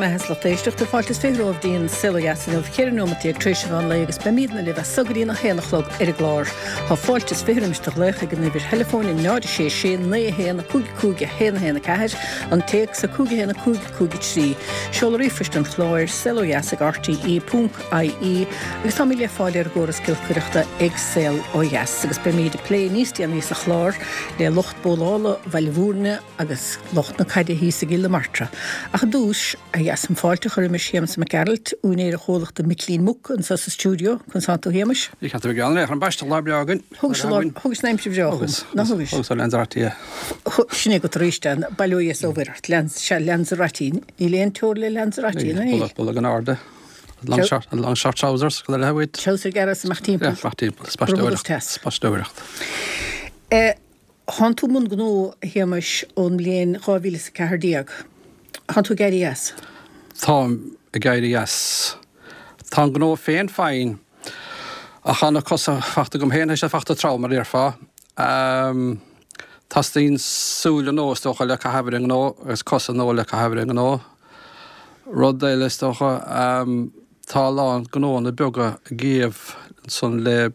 mbeatha is lucht éisteachta, fáilte is 20 romhaibh dtí'n Saol Ó Dheas inniu, 14 nóimeat tar éis an mheán lae agus beimídne libh as so go dtí'n 1 a chlog ar an gclár. Tá fáilte is 20 roimis do ghlaoch ag an uimhir theileafóin 0 6 6 9 1 5 5 1 1 4, an téacs 5 1 5 5 3. Seoladh ríomhphoist an chláir, saolodheas ag rte ponc ie, agus táimid le fáil ar an gcóras giolcaireachta ag Saol Ó Dheas. Agus beimíd ag plé níos déanaí sa chlár le lucht bólála Bhaile Bhúirne, agus lucht na caide thíos i gCill na Martra. Ach i dtús, a Dheas, fáilte a chur roimis Shéamus Mac Gearailt, úinéir an chomhlachta Micilín Muc, anseo sa stiúideo. Conas tánn tú, a Shéamais? Ní cheart a bheith gean ar an bpaisteach lá breá againn. Thugais thugais an aimsir bhreá chugam, ná thugais? Thugas ó Lanzarote é. Sin é agat arís é, bail ó Dhia is ó Mhuire ort, sea, Lanzarote. Níl aon teora le Lanzarote, ná níl? Bolg in airde. Long short, long short trousers, go le uait. Treabhsar gearra is amach timpeall. Yeah, amach timpeall. Spaisteoireacht. Spaisteoireacht. Thánn tú i mbun gnó, a Shéamais, ón mbliain 2014. Thánn tú ag éirí as? Táim ag éirí as. Tá an gnó féin fine, ach tá na cosa fachta agam féin, tá siad fachta trom, mar a déarfá. Teastaíonn súile nua, is dócha, le caitheamh ar an ngnó agus cosa nua le caitheamh ar an ngnó. Rud eile, is dócha, tá a lán gnóanna beaga ag iamh ansan le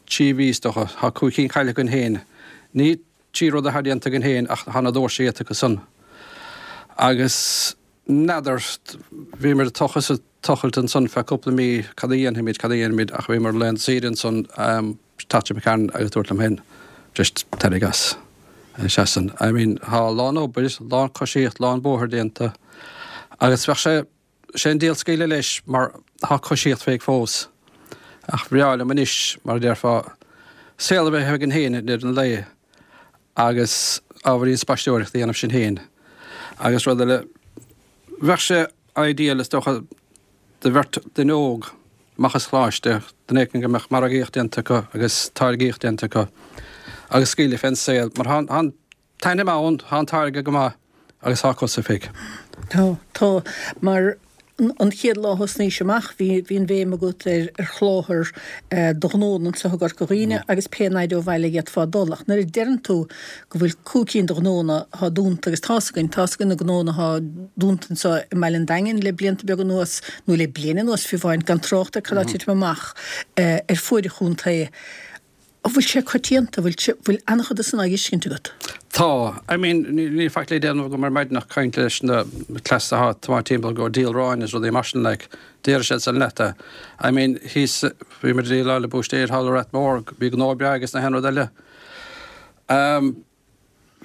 3 mhí is dócha. Tá 5 cinn caillte againn féin. Ní trí rud atá déanta againn féin ach tá na doirse iata acu san. Agus n'fheadar, bhíomar ag tochas is ag tochailt ansan feadh cúpla mí, cad a dhéanfaimid, cad a dhéanfaimid ach bhíomar ar laethanta saoire ansan, teacht McCann agus dúirt liom féin, just tarraing as. Seasann. I mean, tá a lán obair, lán coisíocht, lán bóthair déanta agus bheadh sé, Sé an díol scaoileadh leis mar tá coisíocht féig fós. Ach bhreá liom anois, mar a déarfá, saol a bheith againn féin i ndeireadh an lae agus ábhairín spaisteoireachta a dhéanamh sinn féin. Agus rud eile, bheadh sé ideal is dócha do bheirt duine óg amach as choláiste, duine éicint go mbeadh margaíocht déanta acu agus táirgíocht déanta acu agus scaoileadh fén saol mar tá an t-ainm ann, tá an táirge go maith agus tá cosa féig. Tá, tá. Mar an chéad lá a thosnaís amach, bhí, bhí an bhéim agat ar, ar sholáthar do ghnónna anseo i gCorca Dhuibhne agus pé naimhde ó bhaile a d'fhéadfá dul. Ach nuair a deireann tú go bhfuil cúig cinn de ghnónna atá dúnta, agus tá's againn, tá's againn na gnónna atá dúnta anseo i mBaile an Daingin le blianta beaga anuas, nó le bliain anuas fiú amháin, gan trácht ar cad atá ag titim amach ar fuaid an chontae. An bhfuil sé coitianta? Bhfuil, bhfuil an-chuid de san á fheiscint agat? Tá. I mean, níl faic le déanamh agam ar maidin ach caint leis na cleas atá ag tiomáint timpeall ag díol aráin is rudaí mar sin like. Déarfaidh siad san leat é. I mean, thíos, bhí muid ag déileáil le búistéir thall i Rath Mór, bhí gnó breá aige is na haon rud eile. Um,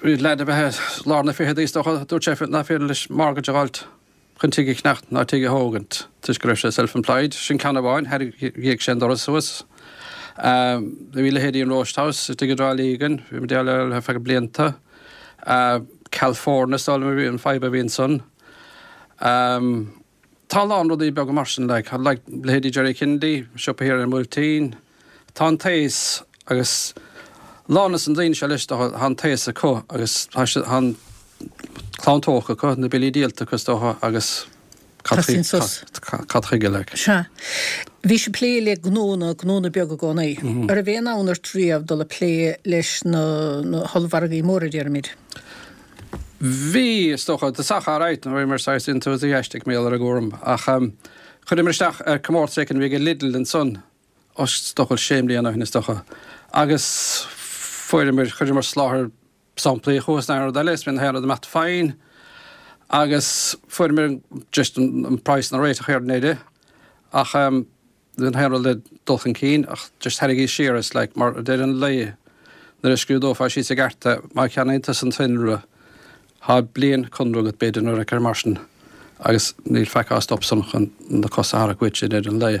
Bhí leaid a bheith i lár na fichidí is dócha, dúirt sé nach féidir leis mortgage a dh'fháilt chun tigh a cheannacht ná tigh a thógaint toisc go raibh sé self-employed. Sin ceann amháin, tharraing sé an doras suas. Bhí leithéidí an Roast House istigh i dTrá Lí againn, bhí muid ag déileáil leo feadh blianta. California is dóigh liom a bhí an fadhb a bhí ansan. Tá a lán rudaí beaga mar sin, like, like leithéidí Jerry Kennedy, siopa thiar ar an mBuailtín. Tá an taos agus lán des na daoine seo leis, tá an taos acu agus tá siad, tá an clann tógtha acu, na billí díolta acu is dócha agus cad chuige, sos. cad chuige, like. Sea. Bhís ag plé le gnónna, gnónna beaga i gcónaí. An raibh aon fhonn ort riamh dul ag plé leis na, na hollmhargaí móra, déarfaimid? Bhí, is dócha. Tá alright, bhíomar saghas enthusiastic mar gheall ar an gcúram ach chuireamar isteach ar comórtas éicint a bhí ag Lidl ansan, is dócha sé mbliana ó shin is dócha, agus fuaireamar, chuireamar soláthar samplaí chucu is na haon rud eile is bhí na haon rud ag imeacht fine agus fuaireamar just an praghas na réiteach ar an deireadh ach Bhí na haon rud le dul chun cinn ach just tharraingíos siar is like mar a deir an laoi nuair a scrúdófá síos i gceart é má cheannaíonn tusa an t-innealra thá bliain conradh agat b'fhéidir nó rud mar sin agus níl faic á stop san chun na cosa a tharrac uait i ndeireadh an lae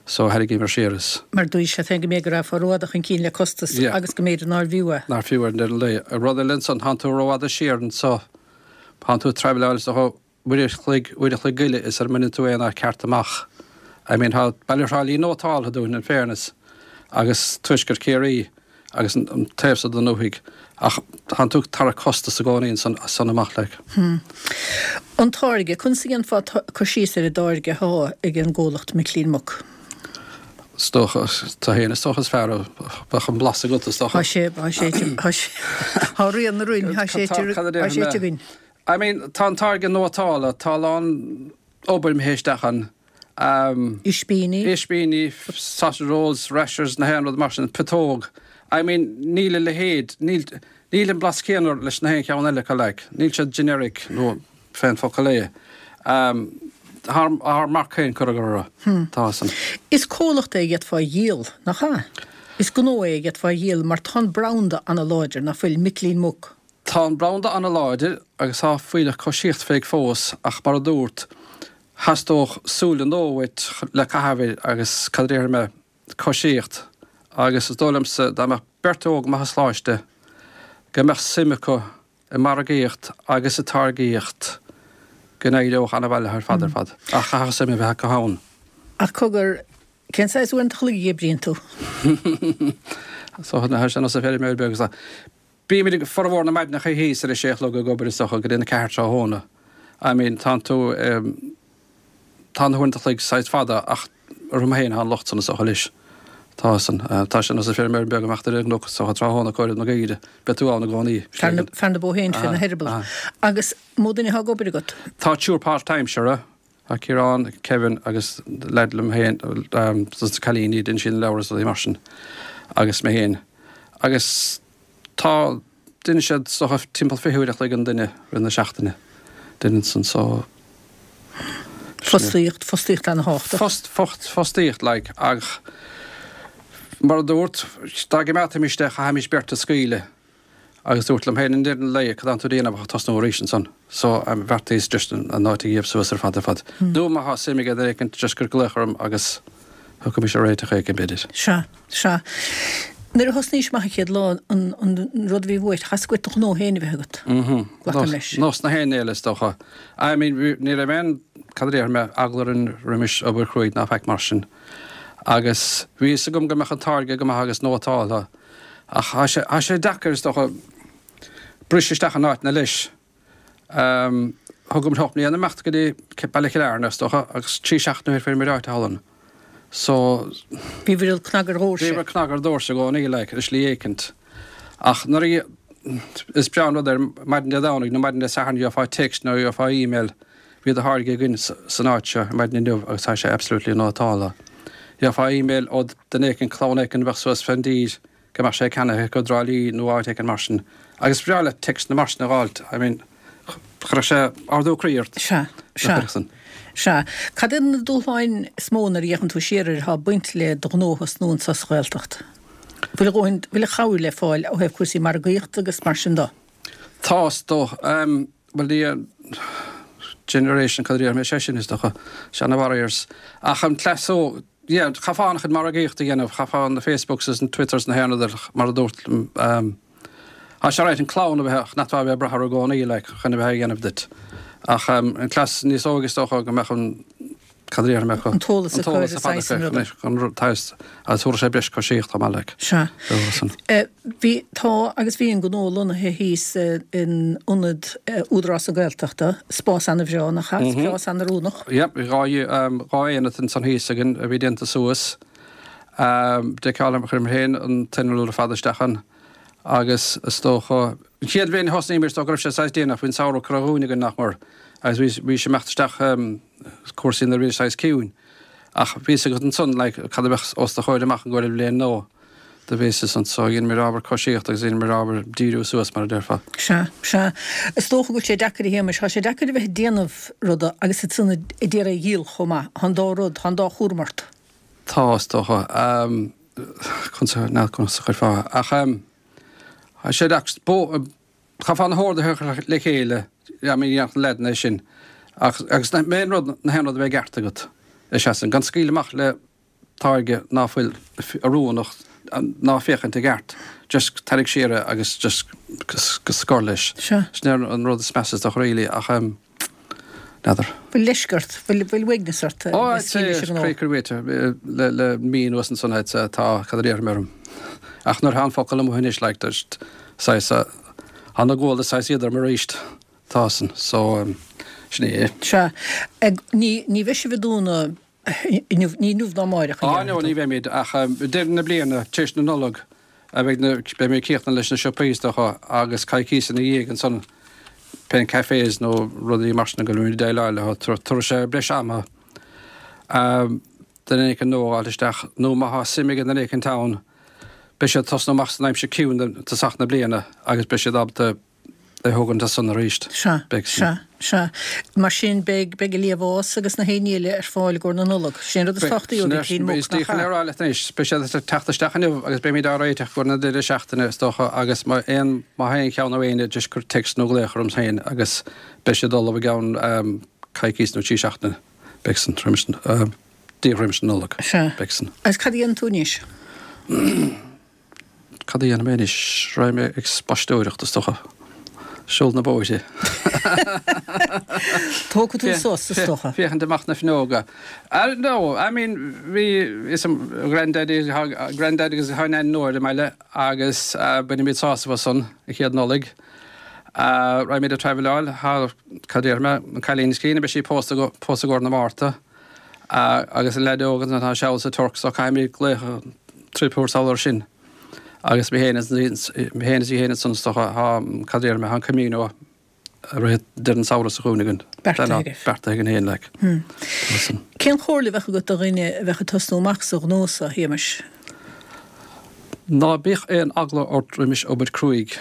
so tharraingíomar siar is. Mar dúirt sé féin go mb'fhéidir go rachfá rófhada chun cinn le costas Yeah. agus go mb'fhéidir nár bhfiú é. Nár fiú ar ndeireadh an lae. Rud eile ansan thánn tú rófhada siar anso thánn tú ag traibhleáil is dócha uair a chloig, uair a chloig go leith is sara mbaineann tú aon áit ceart amach. I mean tá Baile Thrá Lí nótáltha dúinn in fairness agus Tuaisceart Chiarraí agus an taobh so den ndúthaigh ach tánn tú ag tarrac costas i gcónaí ansan as san amach like. Hmm. An táirge, conas a dhéanfá cur síos ar an dtáirge athá ag an gcomhlacht Micilín Muc? Is dócha, tú fhéin is dócha is fearr a bheadh an blas agat is dócha. Tá sé, tá sé, tá sé, tá rian na roinn, tá sé, tá sé againn. I mean, tá an táirge nótálta, tá a lán obair imithe isteach ann. Ispíní. Ispíní, sausage rolls, rashers, na haon rud mar sin, putóg. I mean, níl a leithéid, níl, níl an blas céanna leis na haon cheann eile acu like. Níl siad generic nó fén focal é. Tá ár marc féin curtha orthu. Tá san. Is comhlacht é a d'fhéadfá a dhíol, nach ea? Is gnó é a d'fhéadfá a dhíol mar tá an branda ana-láidir, nach bhfuil? Micilín Muc. Tá an branda ana-láidir agus tá fuílleach coisíocht fé fós ach mar a dúrt, Theastódh súile nua uait le caitheamh air agus, cad a déarfaidh mé, coisíocht. Agus is dóigh liomsa dá mbeadh beirt óg amach as Coláiste go mbeadh suim acu i margaíocht agus sa táirgíocht go n-éireodh ana-mhaith leo ar fad ar fad. Ach chaithfeadh suim a bheith acu ann. Ach cogar, cén saghas uaireanta a chloig a oibríonn tú? So, tá sé ar nós feirmeoir beag is ea. Bímid ag formhór na maidineacha thíos ar a sé a chlog ag obair is dócha go dtí an 4 tráthnóna. I mean tánn tú em tá na huaireanta a chloig saghas fada ach orm féin atá an locht san is dócha leis. Tá san. Tá sé ar nós feirmeoir beag amach ar an gcnoc is dócha tráthnóna ag comhaireamh na gcaoire. Beidh tú ann i gcónaí. Fear na fear na bó féin fé na heireaball. Agus mó duine atá ag obair agat? Tá triúr páirtaimseartha. Tá Ciarán, Kevin agus leaid liom féin, dos na cailíní, déanann siad na leabhair is rudaí mar sin, agus mé féin. Agus tá, déanann siad is dócha timpeall 20 uair a chloig an duine rith na seachtaine, déanann san so. Fostaíocht, fostaíocht ana-thábhachtach. Fost, fost, fostaíocht like ach mar a dúrt, dá gcoimeádfaimis é chaithfimis beirt a scaoileadh. Agus dúrt liom féin i ndeireadh an lae, cad tánn tú a dhéanamh ach tosnú arís ansan. So, bheartaíos just an áit a dhíobh suas ar fad ar fad. Nó má thá suim ag duine éicint, just gur glaoch orm agus thiocfaimis ar réiteach éicint, b'fhéidir. Sea, sea. Nuair a thosnaís amach an chéad lá, an, an rud a bhí uait, theastaigh uait do ghnó féin a bheith agat. Glacaim leis. Nós na haon eile, is dócha. I mean, ní raibh aon, cad a déarfaidh mé, eagla orainn roimis obair chruaidh ná faic mar sin. Agus bhí fhios agam go mbeadh an táirge go maith agus nótáltha. Ach tá sé, tá sé deacair, is dócha, briseadh isteach in áiteanna leis. Thugamar 8 mbliana imeacht go dtí Baile Chill Airne, is dócha, agus 3 seachtaine ó shin fuair muid áit thall ann. So. Bhíobhair ag cnagadh ar dhoirse. Bhíobhair ag cnagadh ar dhoirse i gcónaí, like, ar shlí éicint. Ach nuair a, is breá an rud é ar maidin Dé Domhnaigh nó maidin Dé Sathairn gheofá text nó gheofá email, Bhí do tháirge againn san áit seo ar maidin inniu agus tá sé absolutely nótáltha. Gheofá email ó duine éicint, clann éicint a bheadh suas fén dtír go mbeadh sé ceannaithe acu i dTrá Lí nó áit éicint mar sin. Agus is breá leat téacsanna mar sin a dh'fháilt, I mean, chuirfeadh sé ardú croí ort. Sea, sea, sea. Cad iad na dúshláin is mó nuair a fhéachann tú siar air atá ag baint le do ghnó a thosnú anso sa Ghaeltacht? Bhfuil a dhóthain, bhfuil an chabhair le fáil ó thaobh cúrsaí margaíochta agus mar sin de? Tá, is dóigh. Bhuel, ní generation cad a déarfaidh mé, sé sin is dócha, sea na warriors. Ach an cleas ó, yeah, chaithfeá an-chuid margaíochta a dhéanamh, chaithfeá na Facebooks is na Twitters na haon rud mar a dúrt, tá sé right an clann a bheith, nach a bheith ag brath orthu i gcónaí like chun a bheith á dhéanamh duit. Ach an cleas níos óige is dócha go mbeadh an Cad a déarfaidh mé acu? An t-eolas acu ar an saghas sin ruda. An t-eolas agus thabharfadh sé breis coisíocht chomh maith like. Sea. Bhí, tá agus bhí an gnó lonnaithe thíos in ionad Údarás na Gaeltachta, spás ana-bhreá, nach ea? Spás an-oiriúnach. Yep, bhí dhá aonad ansan thíos againn a bhí déanta suas. Deiceáil chuir mé féin an t-inneall ar fad isteach ann agus is dócha, an chéad bhliain a thosnaíomar is dócha go raibh sé saghas déanach, bhí an samhradh curtha dhúinn againn nach mór agus bhí bhí sé imeacht isteach cúrsaí nuair a bhí saghas ciúin. Ach bhí fhios agat ansan like cad a bheadh os do chomhair amach an gcomhair bhliain nó do bhí fhios anso dheineamar ábhar coisíochta agus dheineamar ábhar díriú suas mar a déarfá. Sea, sea. Is dócha go bhfuil sé deacair a Shéamais, tá sé deacair a bheith ag déanamh ruda agus ansan ag iarraidh a dhíol chomh maith. Tá an dá rud, tá an dá chúram ort. Tá, is dócha. Conas a, n'fheadar conas a chuirfeá. Ach tá sé deacair, Chaithfeá na horduithe a chur le chéile, I mean dhéanfadh na leaideanna é sin. Ach, agus na main rud, na haon rud a bheith i gceart agat, is ea san, gan scaoileadh amach le táirge ná fuil oiriúnach ná féachaint i gceart, just tarraig siar é agus just go scor leis. Sea. Sin é an rud is measa is dócha really ach em, n'fheadar. Bhfuil leisce ort, bhfuil, bhfuil uaigneas ort Ó, le scaoileadh leis an gnó? Cré cur le, le mí anuas ansan tá, cad a déarfaidh mé orm. Ach nuair atá an focal amuigh anois, like, just, saghas, tá na guala saghas iad orm arís, tá san, so, sin é. Sea. Ní, ní bheidh sibh ag dúnadh inniu, ní inniu ná amáireach, a Á, no, ní bheimid, ach deireadh na bliana, tar éis na Nollag, a bheidh na, beidh mé ag críochnú leis na siopaí, is dócha, agus coicíos ina dhiaidh ansan. pé cafés nó rudaí mar sin go bhfuilimid ag déileáil leo, tabharfaidh sé breis ama duine éicint nua a fháil isteach nó má thá suim ag duine éicint ann beidh siad ag tosnú amach san aimsir ciúin tosach na bliana agus beidh siad ábalta é thógaint as san arís. Sea, sea, sea. Mar sin beidh, beidh an liamhás agus na haon ní eile ar fáil i gcomhair na Nollag. Sin an rud is tábhachtaí ó Mhicilín Muc, nach ea? rá leat anois, beidh siad ag teacht isteach inniu agus beimid á réiteach i gcomhair na deireadh seachtaine is dócha agus má aon, má tá aon cheann ó éinne just cuir text nó glaoch orm féin agus beidh siad ullamh i gceann coicís nó 3 seachtaine. Beidh san, roimis an, díreach roimis an Nollaig. Sea. Beidh san. Agus cad a dhéanann tú anois? Cad a dhéanfaidh mé anois? Raghaidh mé ag spaisteoireacht, is dócha. Siúl na bóithre. Tógfaidh tú sos, is dócha. Féachaint amach na fuinneoga. No, I mean, bhí, is Grandaddy, Grandaddy agus a Nain nua ar an mbaile agus bainfimid sásamh as san, an chéad Nollaig. Raghaimid ag traibhleáil thar, cad a déarfaidh mé, an cailín is críonna, beidh sí pósta, pósta i gcomhair na Márta. Agus an leaid óg ansan atá seal sa Tuirc so caithfimid glaoch trip a thabhairt sall air sin. Agus mé féin is mé féin is í féin ansan is dócha tá, cad a déarfaidh mé, tá an Camino ag rith deireadh an samhradh seo chugainn againn. Beartaithe agaibh. Beartaithe againn féin like. Tá san. Cén chomhairle a bheadh agat do dhuine a bheadh ag tosnú amach sa ghnó seo, a Shéamais? Ná bíodh aon eagla ort roimis obair cruaidh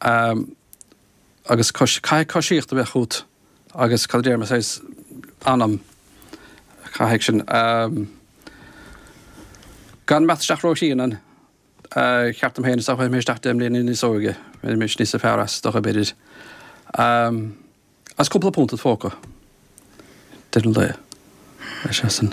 agus caithfidh coisíocht a bheith chút agus cad a déarfaidh mé saghas anam caithfidh sin gan imeacht isteach ró-thrian ann. Cheart dom féin is dócha chuaigh mé isteach 10 mbliana níos óige bheimis níosa fearr as is dócha b'fhéidir. Agus cúpla punt id phóca deireadh an lae. Is é sin.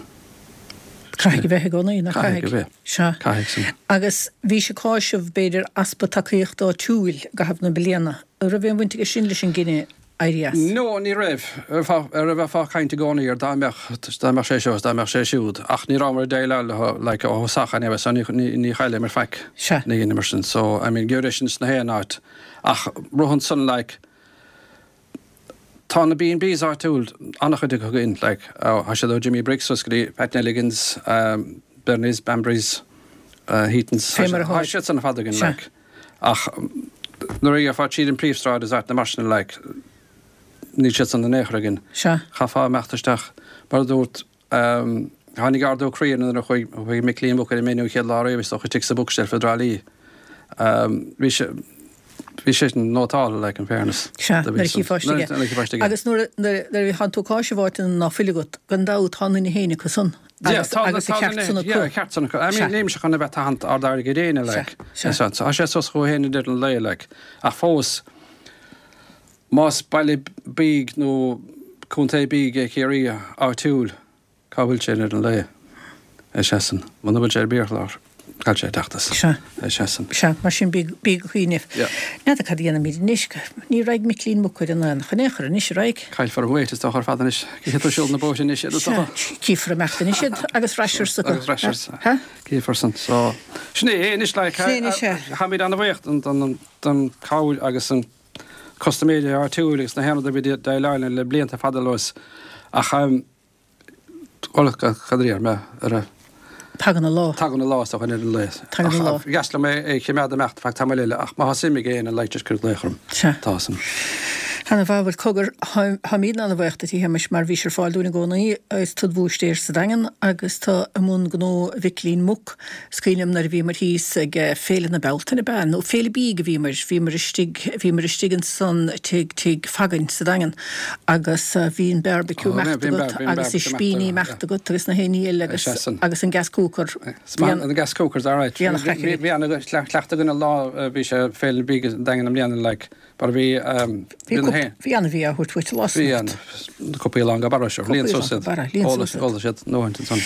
Caithfidh a bheith i gcónaí, nach caithfidh? Caithfidh a bheith. Sea. Caithfidh sin. Agus bhís ag cáiseamh, b'fhéidir, easpa tacaíochta áitiúil i gcaitheamh na bliana. An raibh aon bhaint aige sin leis an gcinneadh éirí as? No, ní raibh. Ar a bheifeá ag caint i gcónaí ar dá mbeadh, dá mbeadh sé seo is dá mbeadh sé siúd. Ach ní rabhamar ag déileáil leo, like, ó thosach anyway, so ní, ní chailleamar faic. Sea. Ní dheineamar sin. So, I mean, gheobhair é sin sna haon áit. Ach rud ansan, like, Tá na B&Bs áitiúil, an-chuid acu againn, like, tá siad ó Jimmy Bricks suas go dtí Pat Nelligan's, Bernie's, Bambury's, Heaton's, Fé mar a tá siad san ar fad againn, like. Ach nuair a gheofá tríd an príomhshráid is áiteanna mar sin, like, níl siad san in aon chor againn. Sea. Chaithfeá imeacht isteach, mar a dúirt, Tháinig ardú croí orm nuair a chuaigh Micilín Muc ar an menu an chéad lá riamh is dócha istigh sa Bookshelf i dTrá Lí. Bhí sé bhí sé sin nótálta like in fairness. Sea, nuair a chífeá istigh é. Nuair a chífeá istigh é. Agus nuair a thánn tú ag cáiseamh áiteanna ná fuil agat, gan dabht tá an duine féin acu san. Agus agus a cheart san acu. Yeah, a cheart san acu. I mean, nílimse chun a bheith ag tathant ard airgid éinne like. Sea, sea. Tá sé suas chucu féin i ndeireadh an lae like. Ach fós, Más baile bídh nó contae bídh é Ciarraí áitiúil, cá bhfuil sé i ndeireadh an lae? Ar seisean. Muna bhfuil sé ar an biachlár, caithfidh sé a teacht as. Sea. Ar seisean. Sea, mar sin bí go cuimhneamh. Yeah. N'fheadar cad a dhéanfaimid anois. Ní raghaidh Micilín Muc ar an aonach in aon chor anois, an raghaidh? Caillfear an weight is dócha ar fad anois. Cífidh tú siúl na bóithre anois iad is dócha. Sea, cífear imeacht anois iad agus rashers acu. Agus rashers. Ha? Cífear san. So, sin é anois like. Sin é anois é. Táimid an-bhuíoch don cabhair agus an custaiméirí áitiúil agus na haon rud a bhí ag déileáil linn le blianta fada anuas ach bhuel cad a déarfaidh mé ar a Tagann a lá. Tagann a lá is dócha ar an lae. Tagann a lá. Ach ba dheas liom é a choimeád imeacht feadh tamaill eile ach má tá suim ag éinne like just cuir glaoch orm. Sea. Tá san. Ana mhaith, bhuel cogar, táimidne ana-bhuíoch duit a Shéamais mar bhís ar fáil dúinn i gcónaí is tú id bhúistéir sa Daingean agus tú i mbun gnó Mhicilín Muc. Is cuimhin liom nuair a bhíomar thíos ag Féile na Bealtaine, ab ea? Nó Féile Bídh a bhíomar, bhíomar istigh, bhíomar istigh ansan tigh, tigh Fagan sa Daingean agus bhí an beárbaiciú imeacht agat agus ispíní imeacht agat agus na haon ní eile agus, agus an gas cooker. Bhí an gas cookers alright. Bhí an-chraic againn. Bhí an-chleachtadh againn an lá a bhí sé Féile Bídh sa Daingean i mbliana like. Mar bhí, bhí na hé. Bhí an-bhia á thabhairt uait an lá san. Bhí an, na cupaí lán go barra seo. Líon suas iad. Líon suas iad. Óladh siad ndóthaint ansan.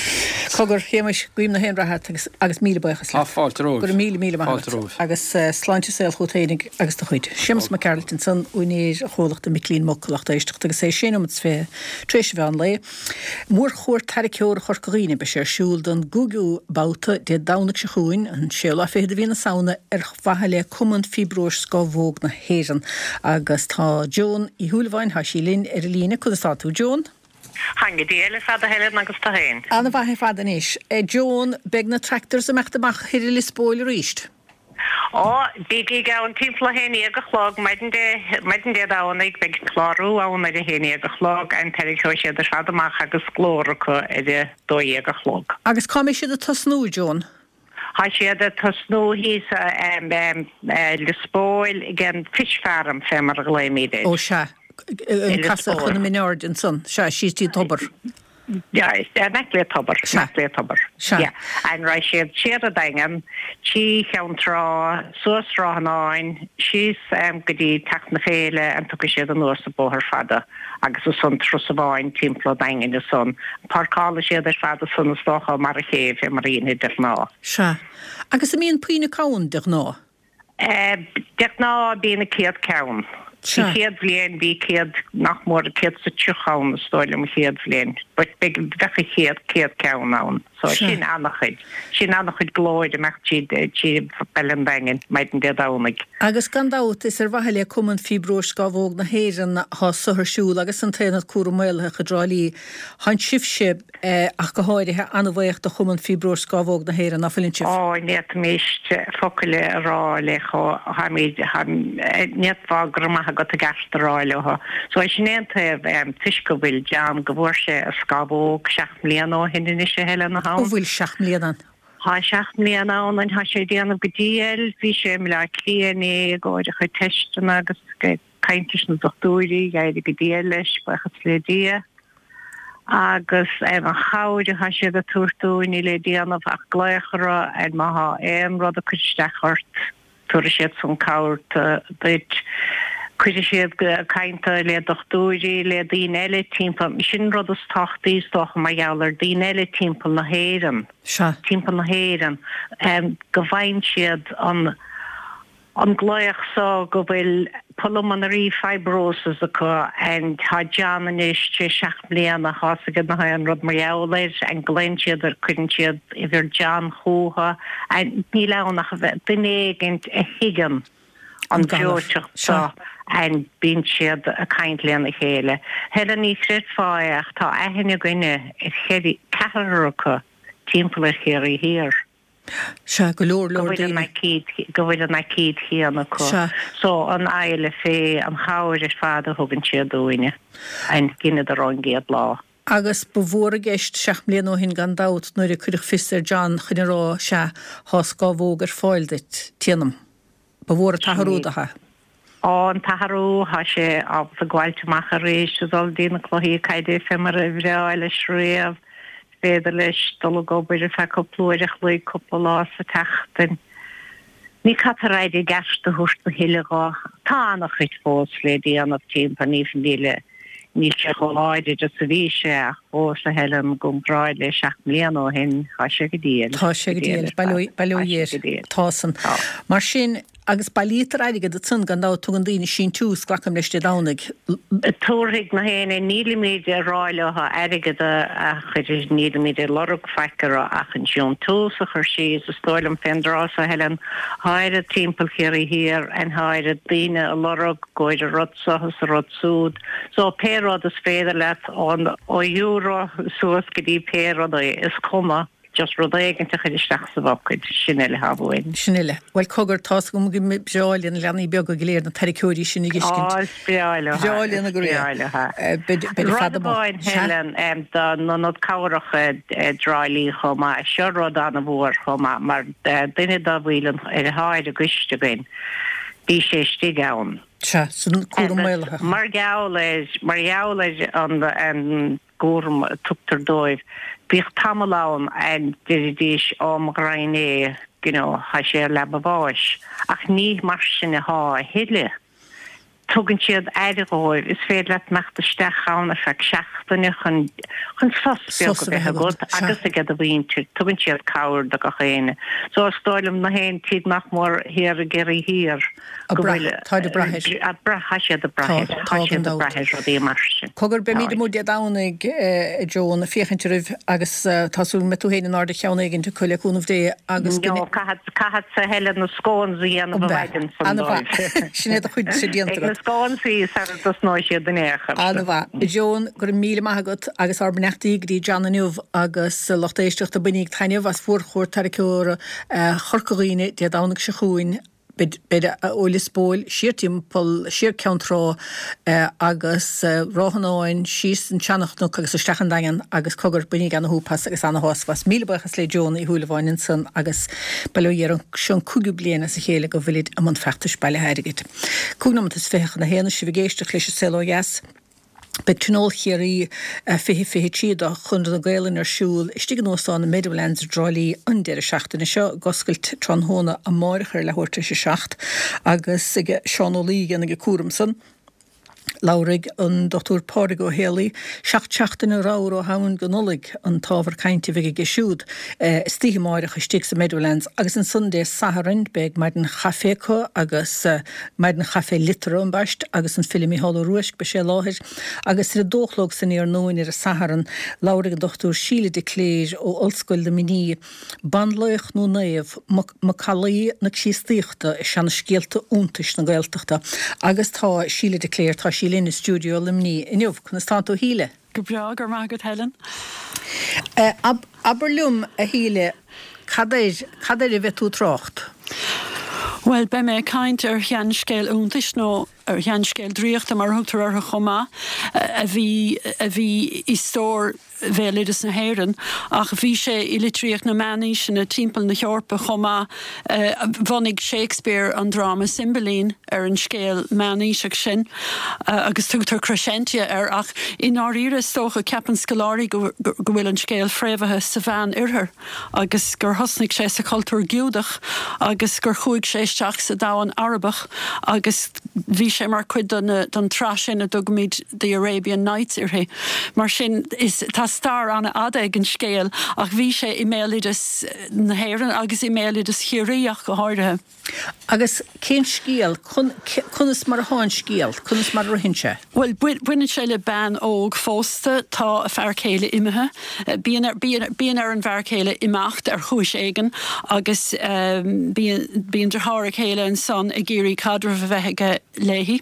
Cogar, Shéamais, guím na haon rath ort agus, agus míle buíochas leat. Tá fáilte romhaibh. Go raibh míle, míle maith agat. Fáilte romhaibh. Agus sláinte is saol chugat fhéinig agus do chuid. Séamas Mac Gearailt ansan, úinéir chomhlachta Micilín Muc, a lucht éisteachta agus é sé nóiméad is 20 tar éis an mheán lae. Mórchuairt Tarraiceora Chorca Dhuibhne, beidh sé ar siúl don gcúigiú babhta Dé Domhnaigh seo chugainn, an séú lá fichead de mhí na Samhna, ar mhaithe le Cumann Fiobróis Scamhóg na hÉireann. Agus tá Joan Uí Shúilleabháin, tá sí linn ar an líne. Conas tá tú, Joan? Táim go diail ar fad a Helen agus tú féin? Ana-mhaith ar fad anois. Joan, beidh na tractors ag imeacht amach thoir i Lios Póil arís. Ó, bígí ann timpeall a haon dhéag a chlog maidin Dé, maidin Dé Domhnaigh, beidh clárú ann ar a haon dhéag a chlog and tarraingeoidh siad ar fad amach agus glór acu ar a dó dhéag a chlog. Agus cá mbeidh siad ag tosnú, Joan? Tá siad ag tosnú thíos i Lios Póil ag an Fish Farm fé mar a ghlaoimíd air. Ó sea, an casadh chun na Mine Airde ansan, sea, síos dtí an tobar. Yeah, in aice le tobar, in aice le tobar. Sea. Yeah. And raghaidh siad siar an Daingean, trí Cheann Trá, suas Ráth an Fháin, síos go dtí Teach na Féile and tiocfaidh siad anuas an Bóthar Fada agus ansan turas amháin timpeall an Daingin ansan. Páirceálfaidh siad ar fad ansan is dócha mar a chéibh fé mar a dhéanfaid de ghnáth. Sea. Agus an mbíonn puinn acu ann de ghnáth? De ghnáth bíonn 100 ceann. Sea. An chéad bhliain bhí 100, nach mór 130 ann is dóigh liom an chéad bhliain. But beidh, bheadh a chéad, 100 ceann ann. So Sea. sin an-chuid. Sin an-chuid glóir ag imeacht tríd, trí Baile an Daingin maidin Dé Domhnaigh. Agus gan dabht is ar mhaithe le Cumann Fiobróis Scámhóg na hÉireann atá so ar siúl agus an tAonad Cúram Maolaitheach i dTrá Lí. Tánn sibhse. ach go háirithe, an-bhaoch do Chumann Fiobróis Scámhóg na hÉireann, ná fuileann sibh? Ó, ní fhéadfaimis focal a rá le chomh, tháimid, ní fhéadfá go raibh maith agat i gceart a rá leo. So sin é an taobh, toisc go bhfuil John, go bhfuair sé a scámhóg seacht mbliana ó shin anois a Helen, atá ann. Ó bhfuil seacht mbliana ann? Tá seacht mbliana ann and tá sé ag déanamh go diail, bhí sé i mBleá Cliath inné i gcomhair a chuid teisteanna agus ag caint leis na dochtúirí, d'éirigh go diail leis, buíochas le Dia. Agus an chabhair atá siad ag tabhairt dúinn, níl le déanamh ach glaoch orthu and má thá aon rud ag cur isteach ort, tabharfaidh siad san cabhair duit. Cuirfidh siad ag caint le dochtúirí, le daoine eile timpeall, sin an rud is tábhachtaí is dócha mar gheall ar daoine eile timpeall na hÉireann, timpeall na hÉireann, go bhfaigheann siad an. an glaoch so go bhfuil pulmonary fibrosis acu and tá John anois tar éis seacht mbliana tá 's aige nach aon rud mar gheall air and glaonn siad ar cuireann siad uimhir John chúthu and níl ann ach a bheith duine éigint a thuigeann an breoiteacht so and bíonn siad ag caint lena chéile. Helen ní chreidfeá é ach tá aithne againne ar cheithre ceathrar acu timpeall ar Chiarraí Thiar. Sea, go leor leor daoine. go bhfuil an aicíd chéanna acu. Sea. So, an fhaille fé, an chabhair ar fad a thugann siad dúinne, and dheineadar ón gcéad lá. Agus ba mhór i gceist seacht mbliana ó shin gan dabht nuair a cuireadh fios ar John chun a rá, sea, thá scámhóg ar fáil duit, téanam. Ba mhór an t-athrú do. Á, an t-athrú, thá sé ábalta gabháilt amach arís, a dhul dtí na cluichí caide fé mar a bhreá leis riamh. Is féidir leis dul ag obair ar feadh cúpla uair a chloig, cúpla lá sa tseachtain. Ní caithfear aire i gceart a thabhairt a thuilleadh dhó. Tá an-chuid fós le déanamh timpeall, ní, níl, níl sé chomh láidir is a bhí sé ach fós, a Helen, i gcomparáid le seacht mbliana ó shin, tá sé go diail. Tá sé go diail, bail ó Dhia air. Tá san. Mar sin, Agus bailítear airgead ansan gan dabht, tugann daoine síntiús, glacaim leis Dé Domhnaigh. Tabharfaidh na héinne, nílimid ag rá leo airgead a chur, nílimid ag lorg faic orthu ach an síntiús a chur síos, is dóigh liom fén dtráth so Helen, thá oiread timpeall Chiarraí Thiar and thá oiread daoine ag lorg gcomhair an rud so is an rud súd, so pé rud is féidir leat ón ó euro suas go dtí pé rud é, is cuma. Just rud éigint a chur isteach sa bhocad, sin uile atá uainn. Sin uile. Bhuel, cogar, tá's agam go mba breá le na leanaí beaga go léir na tarraiceoirí sin a dh'fheiscint. Á, is breá leo. Breá lena go réir. Is breá leo. Beid ar Rud fad amuigh. amháin, Helen, don Ionad Cabhrach i dTrá Lí chomh maith, seo rud an-mhór chomh maith, mar duine dá bhfuil ar atá ar an gcoiste againn, bhí sé istigh ann. Sea, san cúram maolaitheach. Mar gheall ar, mar gheall ar an, gcúram a tugtar dóibh. Bhíodh tamall ann a ndeiridís ó mo ghraidhin é, you know, thá sé ar leaba bháis. Ach ní mar sin athá a thuilleadh. Tugann siad aire dhóibh. Is féidir leat imeacht isteach ann ar feadh seachtaine chun, chun sos beag a bheith agat agus ag do mhuintir. Tugann siad cabhair do gach éinne. So is dóigh liom na haon tigh nach mór thiar i gCiarraí Thiar. Ag brath, táid ag brath air. Ag brath, tá siad ag brath air. Tá, tá gan dabht. Rudaí mar sin. Cogar, beimíd amuigh Dé Domhnaigh, a Joan, ag féachaint oraibh agus tá súil go mbeidh tú féin in airde cheann éigint acu le cúnamh Dé agus go. No, caithfeadsa Helen na scones a dhéanamh an mhaidin san dóibh. Sin é do chuidse déanta agat. Ag na scones sara dtosnóidh siad in aon chor. An-mhaith. A Joan, go raibh míle maith agat agus ár mbeannachtaí go dtí John inniu agus lucht éisteachta, bainíg taitneamh as mhórchuaird tarraiceora Chorca Dhuibhne Dé Domhnaigh seo chugainn. B'fhéidir ó Lios Póil siar timpeall, siar Ceann Trá agus Ráth an Áin, síos an Seanchnoc agus isteach an Daingean agus cogar, bainíg ana-shúp as agus ana-shásamh as. Míle buíochas le Joan Uí Shúilleabháin ansan agus bail ó Dhia air, seo an cúigiú bliain as a chéile go bhfuilid i mbun feachtais bailithe airgid. Cúig nóimeat is 20 chun a haon is sibh ag éisteacht leis an Saol Ó Dheas. Beidh Tionól Chiarraí 2023 do Chonradh na Gaolainne ar siúl istigh in Óstán na Meadowlands i dTrá Lí an deireadh seachtaine seo, ag oscailt tráthnóna amáireach ar leathuair tar éis a 7 agus ag Seán Ó Laoi a dhéanfaidh an cúram san. Labharfaidh an Dr Pádraig Ó Héalaí, Seacht seachtaine ramhar ó Shamhain go Nollaig an t-ábhar cainte a bheidh aige siúd istoíche amáireach istigh sa Meadowlands agus ansan Dé Sathairn beidh maidin chaife acu agus Maidin Chaife Liteartha ambaist agus an file Mícheál Ó Ruaisc, beidh sé i láthair agus ar a dó a chlog san iarnóin ar an Satharn, labharfaidh an Dr Síle de Cléir ó Ollscoil Luimnigh, Banlaoch nó Naomh, Macallaí na Críostaíochta i seana-scéalta iontais na Gaeltachta agus tá Síle de Cléir, tá sí linn i stiúideo Luimnigh inniu. Conas tánn tú a Shíle? Go breá, go raibh maith agat Helen. Abair liom, a Shíle, cad air, cad air a bheidh tú ag trácht? Bhuel, beidh mé ag caint ar sheanscéal iontais, nó ar sheanscéal draíochta mar a thugtar orthu chomh maith, a bhí, a bhí i stór bhéaloideas na hÉireann, ach bhí sé i litríocht na meánaoiseanna timpeall na hEorpa chomh maith. Bhunaigh Shakespeare an dráma Cymbeline ar an scéal meánaoiseach sin agus tugtar Crescentia air ach i ndáiríre is dócha, ceapann scoláirí go bhfuil an scéal fréamhaithe sa Mheán-Oirthear agus gur thosnaigh sé sa chultúr Giúdach agus gur chuaigh sé isteach sa domhan Arabach agus bhí sé mar chuid den tsraith sin a dtugaimid The Arabian Nights uirthi. Mar sin is tá stair an-fhada ag an scéal ach bhí sé i mbéaloideas na hÉireann agus i mbéaloideas Chiarraí ach go háirithe. Agus cén scéal? Conas mar atá an scéal? Conas mar a ritheann sé? Bhuel, baineann sé le bean óg phósta. Tá a fear céile imithe. Bíonn ar, bíonn ar an bhfear céile imeacht ar chúis éigin agus bíonn, bíonn deartháir a céile ansan ag iarraidh caidreamh a bheith aige léi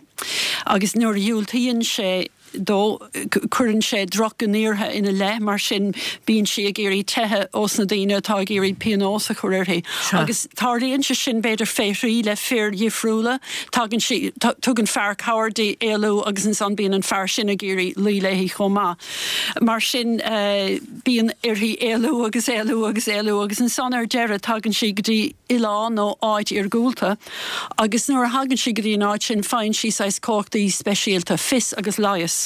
agus nuair a dhiúltaíonn sé, dó. Cuireann sé drochghníomhartha ina leith, mar sin bíonn sí ag iarraidh teitheadh ós na daoine atá ag iarraidh pionós a chur uirthi. Agus tarlaíonn sé sin b'fhéidir fé thrí le fir dhifriúla. Tagann sí, tugann fear cabhair di éalú agus ansan bíonn an fear sin ag iarraidh luí léi chomh maith. Mar sin bíonn uirthi éalú agus éalú agus éalú agus ansan ar deireadh tagann sí go dtí oileán nó áit iargúlta. Agus nuair a thagann sí go dtí an áit sin faigheann sí saghas cumhachtaí speisialta, fios agus leigheas.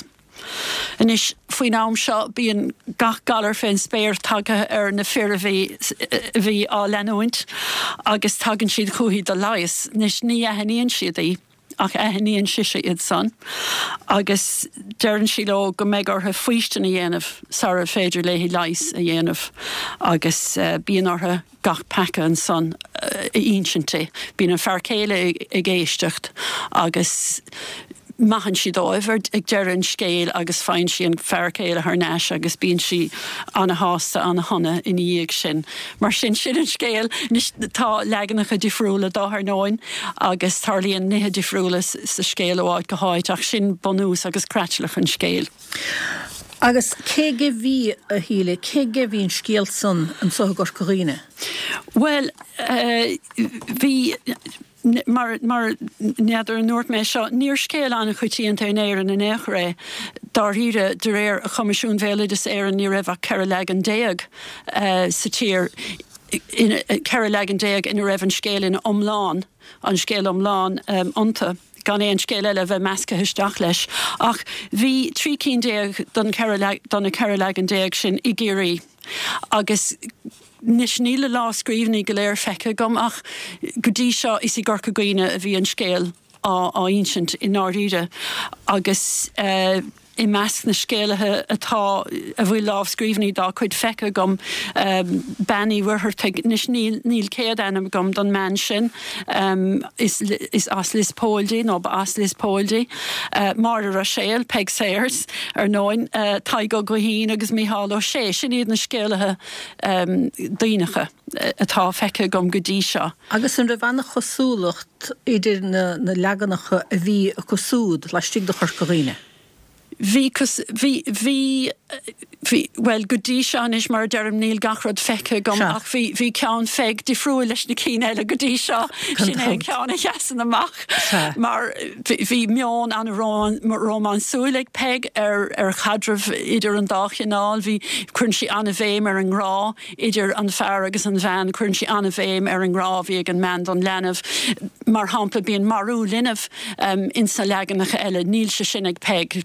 Anois, faoin am seo bíonn gach galar fén spéir tagtha ar na fir a bhí, a bhí á leanúint agus tagann siad chúithi do leigheas. Anois, ní aithníonn siad í ach aithníonn sise iad san agus deireann sí leo go mbeidh orthu faoistin a dhéanamh sara féidir léi leigheas a dhéanamh agus bíonn orthu gach peaca ansan a insint di. Bíonn an fear céile ag éisteacht agus maitheann sí dóibh ag deireadh an scéil agus faigheann sí an fear céile thar n-ais agus bíonn sí ana-shásta, ana-shona ina dhiaidh sin. Mar sin, sin an scéal. Anois tá leaganacha difriúla dó ar ndóin agus tarlaíonn nithe difriúla sa scéal ó áit go háit ach sin bunús agus creatlach an scéil. Agus cé aige bhí, a Shíle, cé aige bhí an scéal san anso i gCorca Dhuibhne? Bhuel, bhí, mar, mar, n'fheadar an ndúirt mé seo, níor scéal an-choitianta in Éirinn in aon chor é. Dáiríre, de réir Choimisiún Bhéaloideas Éireann ní raibh ach 14 leagan sa tír, 14 leagan ina raibh an scéal ina iomlán, an scéal iomlán iontu. gan aon scéal eile a bheith measctha isteach leis. Ach bhí 13 cinn den cheithre, de na 14 leagan sin i gCiarraí agus anois níl na lámhscríbhinní go léir feicthe agam ach go dtí seo is i gCorca Dhuibhne a bhí an scéal á insint i ndáiríre agus eh, I measc na scéalaithe atá, a bhfuil lámhscríbhinní dá cuid feicthe agam, Bean Uí Mhuircheartaigh, anois níl, níl céad ainm agam don mbean sin, is, is as Lios Póil di, nó ba as Lios Póil di, Máire Ruiséal, Peig Sayers, ar ndóin, Tadhg Ó Guithín agus Mícheál Ó Sé, sin iad na scéalaithe Duibhneacha atá feicthe agam go dtí seo. Agus an raibh an-chosúlacht idir na leaganacha a bhí acu súd laistigh de Chorca Dhuibhne? Bhí, bhí, bhí, bhí, bhuel, go dtí seo anois, mar a deirim, níl gach rud feicthe agam ach bhí, bhí ceann Pheig difriúil leis na cinn eile go dtí seo. Sin é an ceann a sheasann amach mar bhí, bhí meon an-rómánsúil ag Peig ar, ar chaidreamh idir an dá chineál. Bhí, cuireann sí an-bhéim ar an ngrá idir an fear agus an bhean, cuireann sí an-bhéim ar an ngrá a bhí ag an mbean don leanbh. Mar shampla, bíonn marú linbh ins na leaganacha eile, níl sé sin ag Peig,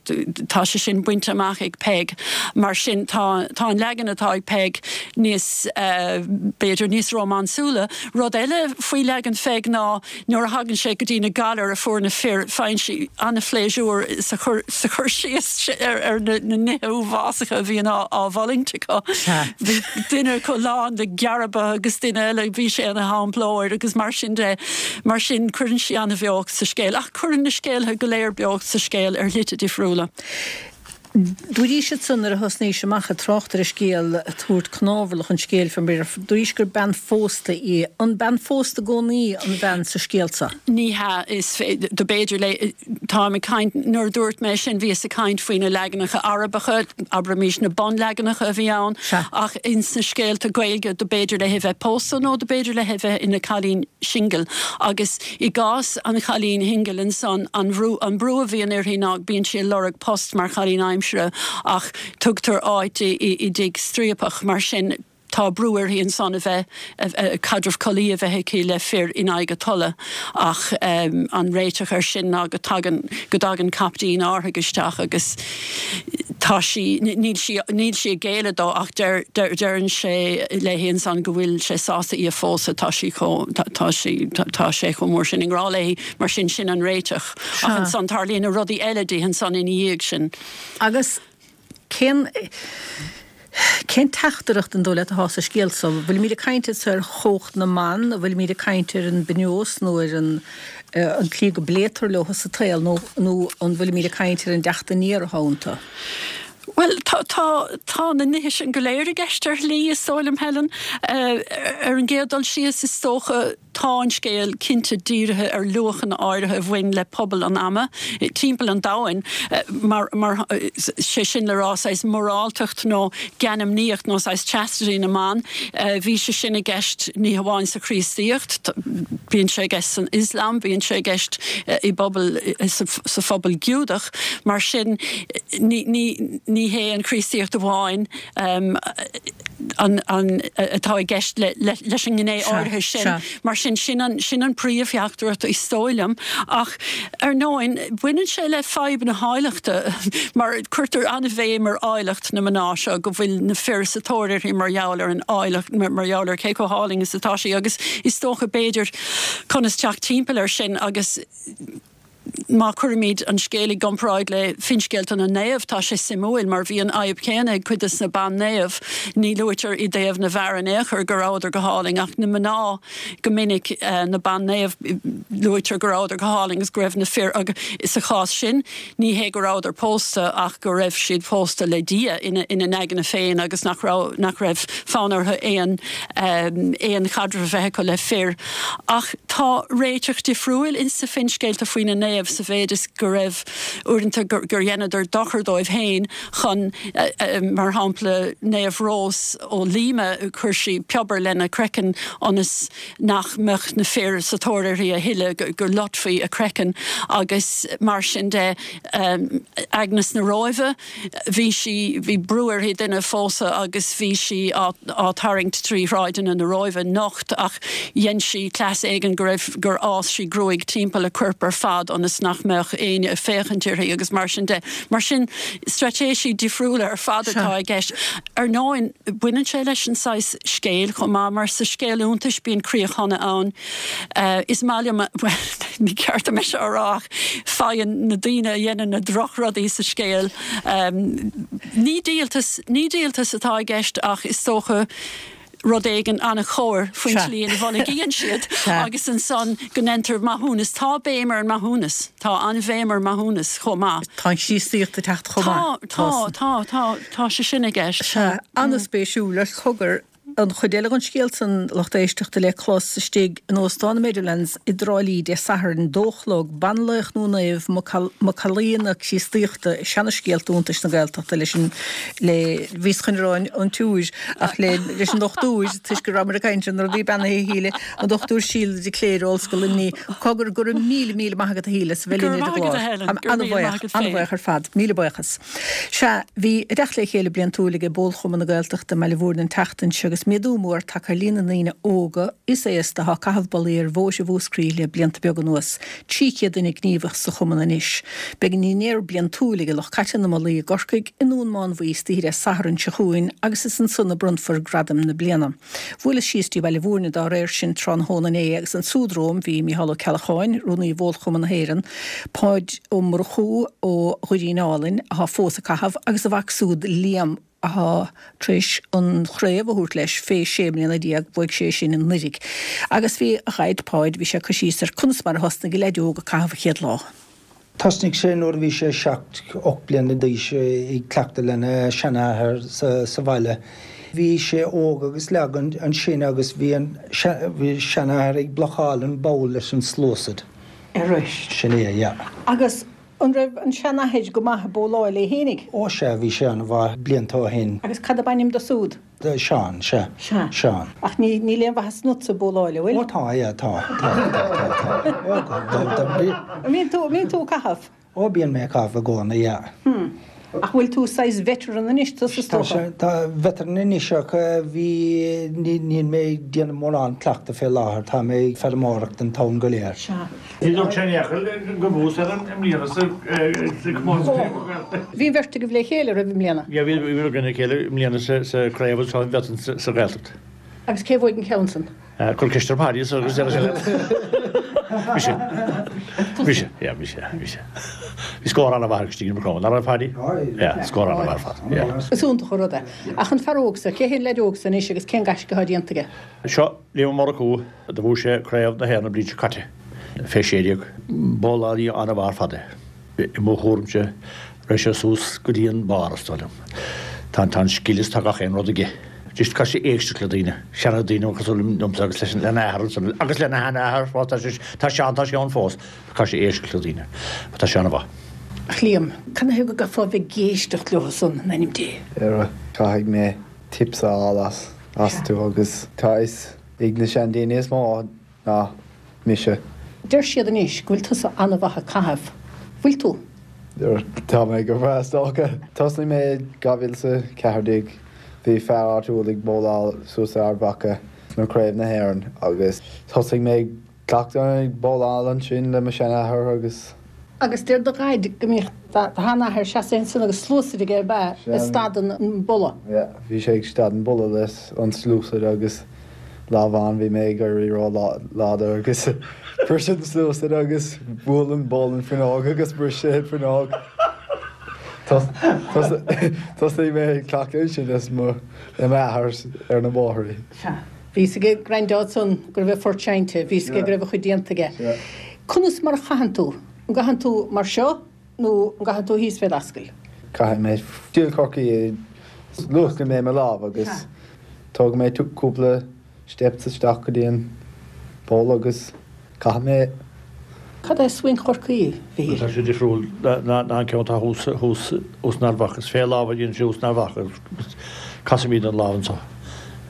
tá sé sin bainte amach ag Peig. Mar sin, tá tá an leagan atá ag Peig níos, b'fhéidir, níos rómánsúla. Rud eile faoi leagan Pheig ná nuair a thagann sé go dtí na galair a fuair na fir, faigheann sí an-phléisiúr sa chur sa chur síos ar ar na nithe uafásacha a bhíonn á á bhfulaingt acu. Bhí duine acu lán de ghearba agus duine eile bhí sé ina shamplóir agus mar sin de. Mar sin, cuireann sí an-bheocht sa scéal. Ach cuireann na scéaltha go léir beocht sa scéal ar shlite difriúla. Dúraís ansan nuair a thosnaís amach ag trácht ar an scéal, ag tabhairt cnámharlach an scéil fé mar, dúraís gur bean phósta í. An bean phósta i gcónaí an bhean sa scéal so? Ní hea, is do b'fhéidir léi, táim ag caint, nuair a dúirt mé sin bhíos ag caint faoi na leaganacha Arabacha, abraimis na bunleaganacha a bhí ann, ach ins na scéalta Gaeilge do b'fhéidir léi bheith pósta nó do b'fhéidir léi bheith ina cailín singil agus i gcás an chailín shingil ansan an bhrú an brú a bhíonn uirthi ná bíonn sí ag lorg post mar chailín aimsire ach tugtar áit di i dtigh striapach mar sin tá brú uirthi ansan a bheith caidreamh collaí a bheith aici le fir in aghaidh a tola ach an réiteach air sin ná go dtagann go dtagann caiptín árthaigh isteach agus tá sí níl sí níl sí ag géilleadh dó ach deir deir deireann sé léi ansan go bhfuil sé sásta í a phósadh tá sí chomh tá tá sí tá sé chomh mór sin i ngrá léi mar sin sin an réiteach ach ansan tarlaíonn na rudaí eile di ansan ina dhiaidh sin. Agus cén cén teachtaireacht an dóigh leat atá sa scéal so? Bhfuilimid ag caint anso ar chumhacht na mban, an bhfuilimid ag caint ar an bpionós nó ar an an tslí go bpléitear leo sa tsaol nó nó an bhfuilimid ag caint ar an dteacht aniar atá iontu? Bhuel, tá, tá, tá na nithe sin go léir i gceist ar shlí, is dóigh liom, Helen. Ar an gcéad dul síos, is dócha, tá an scéal cinnte dírithe ar luachanna áirithe a bhain le pobal an ama timpeall an domhain, mar, mar, sé sin le rá, saghas moráltacht nó geanmnaíocht nó saghas chastity na mban. Bhí sé sin i gceist ní hamháin sa Chríostaíocht, bíonn sé i gceist san Ioslam, bíonn sé i gceist i bpobal, sa phobal Giúdach. Mar sin, ní, ní, ní hé an Chríostaíocht amháin an, an, atá i gceist le, le, leis an ngné áirithe sin. Mar sin, sin an, sin an príomhtheachtaireacht is dóigh liom. Ach ar ndóin, baineann sé le fadhb na háilleachta mar cuirtear an-bhéim ar áilleacht na mná seo, go bhfuil na fir sa tóir uirthi mar gheall ar an áilleacht, mar gheall ar cé chomh hálainn is atá sí agus is dócha b'fhéidir conas teacht timpeall air sin agus Má chuirimid an scéal i gcomparáid le finscéalta na naomh, tá sé suimiúil mar bhí an fhadhb chéanna ag cuid de na ban-naoimh. Ní luaitear i dtaobh na bhfear in aon chor go rabhadar go hálainn ach na mná go minic, na ban-naoimh, luaitear go rabhadar go hálainn agus go raibh na fir agus sa chás sin ní hé go rabhadar pósta ach go raibh siad pósta le Dia ina n-aigne féin agus nach raibh nach raibh fonn orthu aon aon chaidreamh a bheith acu le fir. Ach tá réiteach difriúil ins na finscéalta faoi na naoimh sa mhéid is go raibh uaireanta gur dheineadar dochar dóibh féin chun, mar shampla, Naomh Rós ó Lima, chuir sí piobar lena craiceann ionas nach mbeadh na fir sa tóir uirthi a thuilleadh, go loitfí a craiceann agus mar sin de. Agnes na Róimhe. Bhí sí, bhí brú uirthi duine a phósadh agus bhí sí á, á tarraingt trí shráideanna na Róimhe nocht ach dhein sí cleas éigin go raibh, gur fhás sí gruaig timpeall a coirp ar fad ionas nach mbeadh éinne ag féachaint uirthi agus mar sin de. Mar sin, straitéisí difriúla ar fad atá i gceist. Ar ndóin, baineann sé leis an saghas scéil chomh maith mar sa scéal iontais bíonn críoch shona ann. Is maith liom, bhuel, ní ceart dom é seo a rá ach faigheann na daoine a dhéanann na drochrudaí sa scéal, ní díoltas, ní díoltas atá i gceist ach is dócha rud éigin an-chóir faoin tslí ina bhfulaingíonn siad agus ansan go ndéantar maithiúnas. Tá béim ar an maithiúnas, tá an-bhéim ar maithiúnas chomh maith. Tá an Chríostaíocht ag teacht chomh maith. Tá, tá, tá, tá, tá sé sin i gceist. Sea, an-spéisiúil. Cogar. an chuid eile den scéal san, lucht éisteachta, le clos istigh in Óstán na Meadowlands i dTrá Lí Dé Sathairn, 2 a chlog, Banlaoch nó Naomh, Macallaí na Críostaíochta, Seana-Scéalta Iontais na Gaeltachta leis an, le, bhíos chun a rá an tSiúr, ach le, leis an dochtúir, toisc go rabhamar ag caint ar na rudaí beannaithe a Shíle, an Dr Síle de Cléire, Ollscoil Luimnigh. Cogar, go raibh míle, míle maith agat a Shíle as a bheith Go linn raibh ar an maith agat gclár. a Helen, Táim go raibh míle maith an-bhuíoch, agat féin. an-bhuíoch ar fad. Míle buíochas. Sea, bhí a dteacht le chéile bliantúil ag Bólchumann na Gaeltachta i mBaile Mhúirne an tseachtain seo agus méadú mór tagtha ar líon na ndaoine óga is aosta atá ag caitheamh bollaí ar bhóithre Mhúscraí le blianta beaga anuas. 300 duine gníomhach sa chumann anois. Beidh an dinnéar bliantúil ag lucht caite na mbollaí i gCorcaigh, i nDún Mánmhaí istoíche Dé Sathairn seo chugainn agus is ansan a bronnfar gradaim na bliana. Bhuaileas síos dtí Baile Mhúirne dá réir sin tráthnóna inné agus ansúd romham bhí Mícheál Ó Ceallacháin, Rúnaí Bhólchumann na hÉireann, Páid Ó Murchú ó Dhoirín Álainn, athá fós ag caitheamh, agus a mhac súd Liam athá tar éis an chraobh a thabhairt leis fé 16 mbliana, bhuaigh sé sin anuiridh. Agus bhí a dhaid Páid, bhí sé ag cur síos ar conas mar a thosnaigh an leaid óg ag caitheamh an chéad lá. Thosnaigh sé nuair a bhí sé 7, 8 bliana d'aois ag cleachtadh lena sheanathair sa bhaile. Bhí sé óg agus lag ansin agus bhí an seanathair ag blocáil an bowl leis an sluasaid. Arís. Sin é, yeah. Agus an raibh an seanathair go maith ag bowláil é fhéinig? Ó sea, bhí sé an-mhaith blianta ó shin. Agus cad ab ainm do súd? Seán, sea. Sea. Seán. Ach ní, níl aon mhaitheas ionatsa ag bowláil, an bhfuil? Ó tá, yeah, tá. Tá, tá, tá, tá. Ó, go, go, go, bí. An mbíonn tú, an mbíonn tú ag caitheamh? Ó, bíonn mé ag caitheamh i gcónaí, yeah. Hmm. Ach bhfuil tú saghas veteran anois, tusa is Tá dócha? sé, tá veteran anois ach bhí, ní, níl mé ag déanamh mórán cleachtadh fé láthair, tá mé ag feirmeoireacht an t-am go léir. Sea. Ní dúirt sé in aon chor go bhfuas air i mbliana sa chomórtas Gaeltachta. Bhí an bheirt agaibh le chéile roimh i mbliana? Yeah, bhí againn le chéile i mbliana sa chraobh anseo in Bhealtaine sa Ghaeltacht. Agus cé bhuaigh an ceann san? Cuir ceist ar Paddy agus déarfaidh sé leat. Mise. Mise, yeah, mise, mise. Bhí scór an-mhaith ag Stephen McCrone, nach raibh Paddy? Yeah, scór an-mhaith ar fad, yeah. Is iontach an rud é. Ach an fear óg so, cé hé an leaid óg so anois agus cén gaisce atá déanta aige? Seo Liam Ó Murchú. Do bhuaigh sé Craobh na hÉireann an bhliain seo caite, fé 16. Bowlálaí an-mhaith ar fad é. I mo thuairimse, raghaidh sé suas go dtí an barr, is dóigh liom. Tá an scil is tá gach aon rud aige. Just caithfidh sé éisteacht le daoine, seana daoine cosúil liomsa agus leis lena athair ansan, agus lena sheanathair fós, tá sé, tá sé ann, tá sé ann fós. Caithfidh sé éisteacht le daoine. Tá sé an-mhaith. Ach Liam, cad 'na thaobh go gcaithfeá a bheith ag éisteacht leo san, in ainm Dé? Caithfidh mé tips a fháil as, astu agus tá fhios ag na seandaoine is mó ná mise. Deir siad anois go bhfuil tusa an-mhaith ag caitheamh. Bhfuil tú? Tá mé go breá is dócha. Thosnaigh mé i 2014. Bhí fear áitiúil ag bowláil suas i Ard Mhacha sna Craobh na hÉireann agus thosaigh mé ag Cleachtadh ag bowláil ansin le mo sheanathair agus. Agus deir do dhaid go mbíodh do sheanathair seasamh ansan agus sluasaid aige ab ea, ag stad an bolla? Yeah, bhí sé ag stad an bolla leis an sluasaid agus lá amháin bhí mé ag éirí ró láidir agus bhris an sluasaid agus bhuail an boll an fuinneog agus bhris sé an fuinneog. Thosaigh mé ag cleachtadh ansin leis mo m'athair ar na bóithrí. Sea. Bhí fhios ag Grandad san go raibh a phort seinnte, bhí fhios aige go raibh a chuid déanta aige. Conas mar a chaitheann tú? An gcaitheann tú mar seo nó an gcaitheann tú thíos fé d'ascaill? Caithfidh mé stíl Chorcaí, luascann mé mo lámh agus tógann mé cúpla steps isteach go dtí an poll agus caithfidh mé. Cad é swing Chorcaí, a Mhichíl? Tá sé difriúil ná an ceann atá thuas thuas in Ard Mhacha. Is fé lámh a dhéanann sé thuas in Ard Mhacha agus casaimid an lámh anseo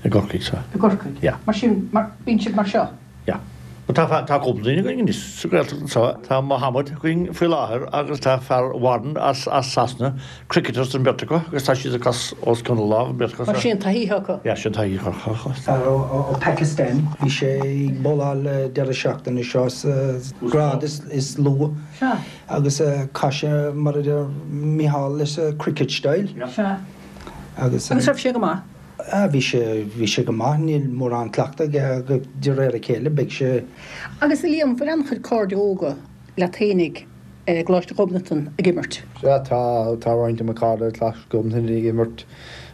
i gCorcaigh. So. I gCorcaigh? Yeah. Mar sin, mar, bíonn sibh mar seo? Yeah. But tá, tá cúpla duine againn anois sa Ghaeltacht anseo. Tá Mohammed againn faoi láthair agus tá fear Warren as, as Sasana, cricketers an bheirt acu agus tá siad ag cas os cionn na lámh an bheirt acu. Mar sin taithí acu. Yeah, sin taithí acu. Fear ó Pakistan, bhí sé ag bowláil deireadh seachtaine seo sa grád is lú agus chaith sé mar a deir Micheál leis an cricket style. Sea. Agus Agus raibh sé go maith? Ah bhí sé, bhí sé go maith, níl mórán cleachtadh aige ach de réir a chéile beidh sé. Agus a Liam, bhfuil an-chuid cairde óga leat fhéinig i gColáiste Ghobnatan ag imirt? Sea, tá, tá roinnt de mo chairde i gColáiste Ghobnatan ag imirt.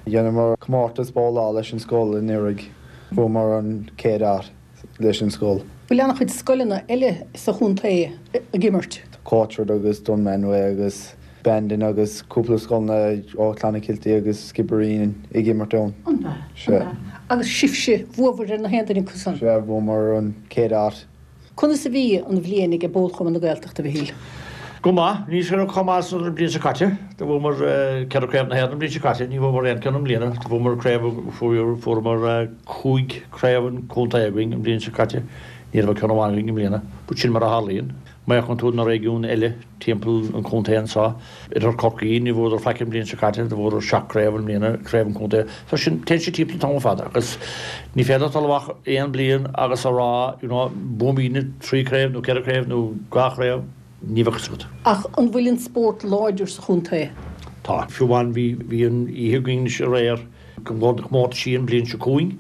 Dheineamar comórtas bowláil leis an scoil anuraidh. Bhuamar an chéad áit leis an scoil. Bhfuil an-chuid scoileanna eile sa chontae ag imirt? Tá Courtwood agus Dunmanway agus Bandon agus cúpla scoileanna ó Clonakilty agus Skibbereen ag imirt ann. An ea? Sea. An ea? Agus sibhse, bhuabhair ar na haon duine acu san? Sea, bhuamar an chéad áit. Conas a bhí an bhliain ag Bólchumann na Gaeltachta, a Mhichíl? Go maith. Ní chomh maith is an bhliain seo caite. Do bhuamar ceithre craobh na hÉireann an bhliain seo caite. Ní bhuamar aon ceann i mbliana. Do bhuamar craobh, fuaireamar cúig craobh an chontae againn an bhliain seo caite. Ní raibh ach ceann amháin againn i mbliana. But sin mar a tharlaíonn. Má fhéachann tú na réigiúin eile timpeall an chontae anseo, Oirthear Chorcaí, ní bhuadar faic an bhliain seo caite, do bhuadar seacht gcraobh i mbliana, craobh an chontae. So sin, téann sé timpeall an t-am ar fad agus ní féidir leat dul amach aon bhliain agus a rá, you know, buafaimidne trí chraobh nó ceithre chraobh nó dhá chraobh, ní bheadh fhios agat. Ach an bhfuil an spórt láidir sa chontae? Tá. Fiú amháin bhí, bhí an oíche againn anois aréir, go bhfuil na comórtaisí an bhliain seo chugainn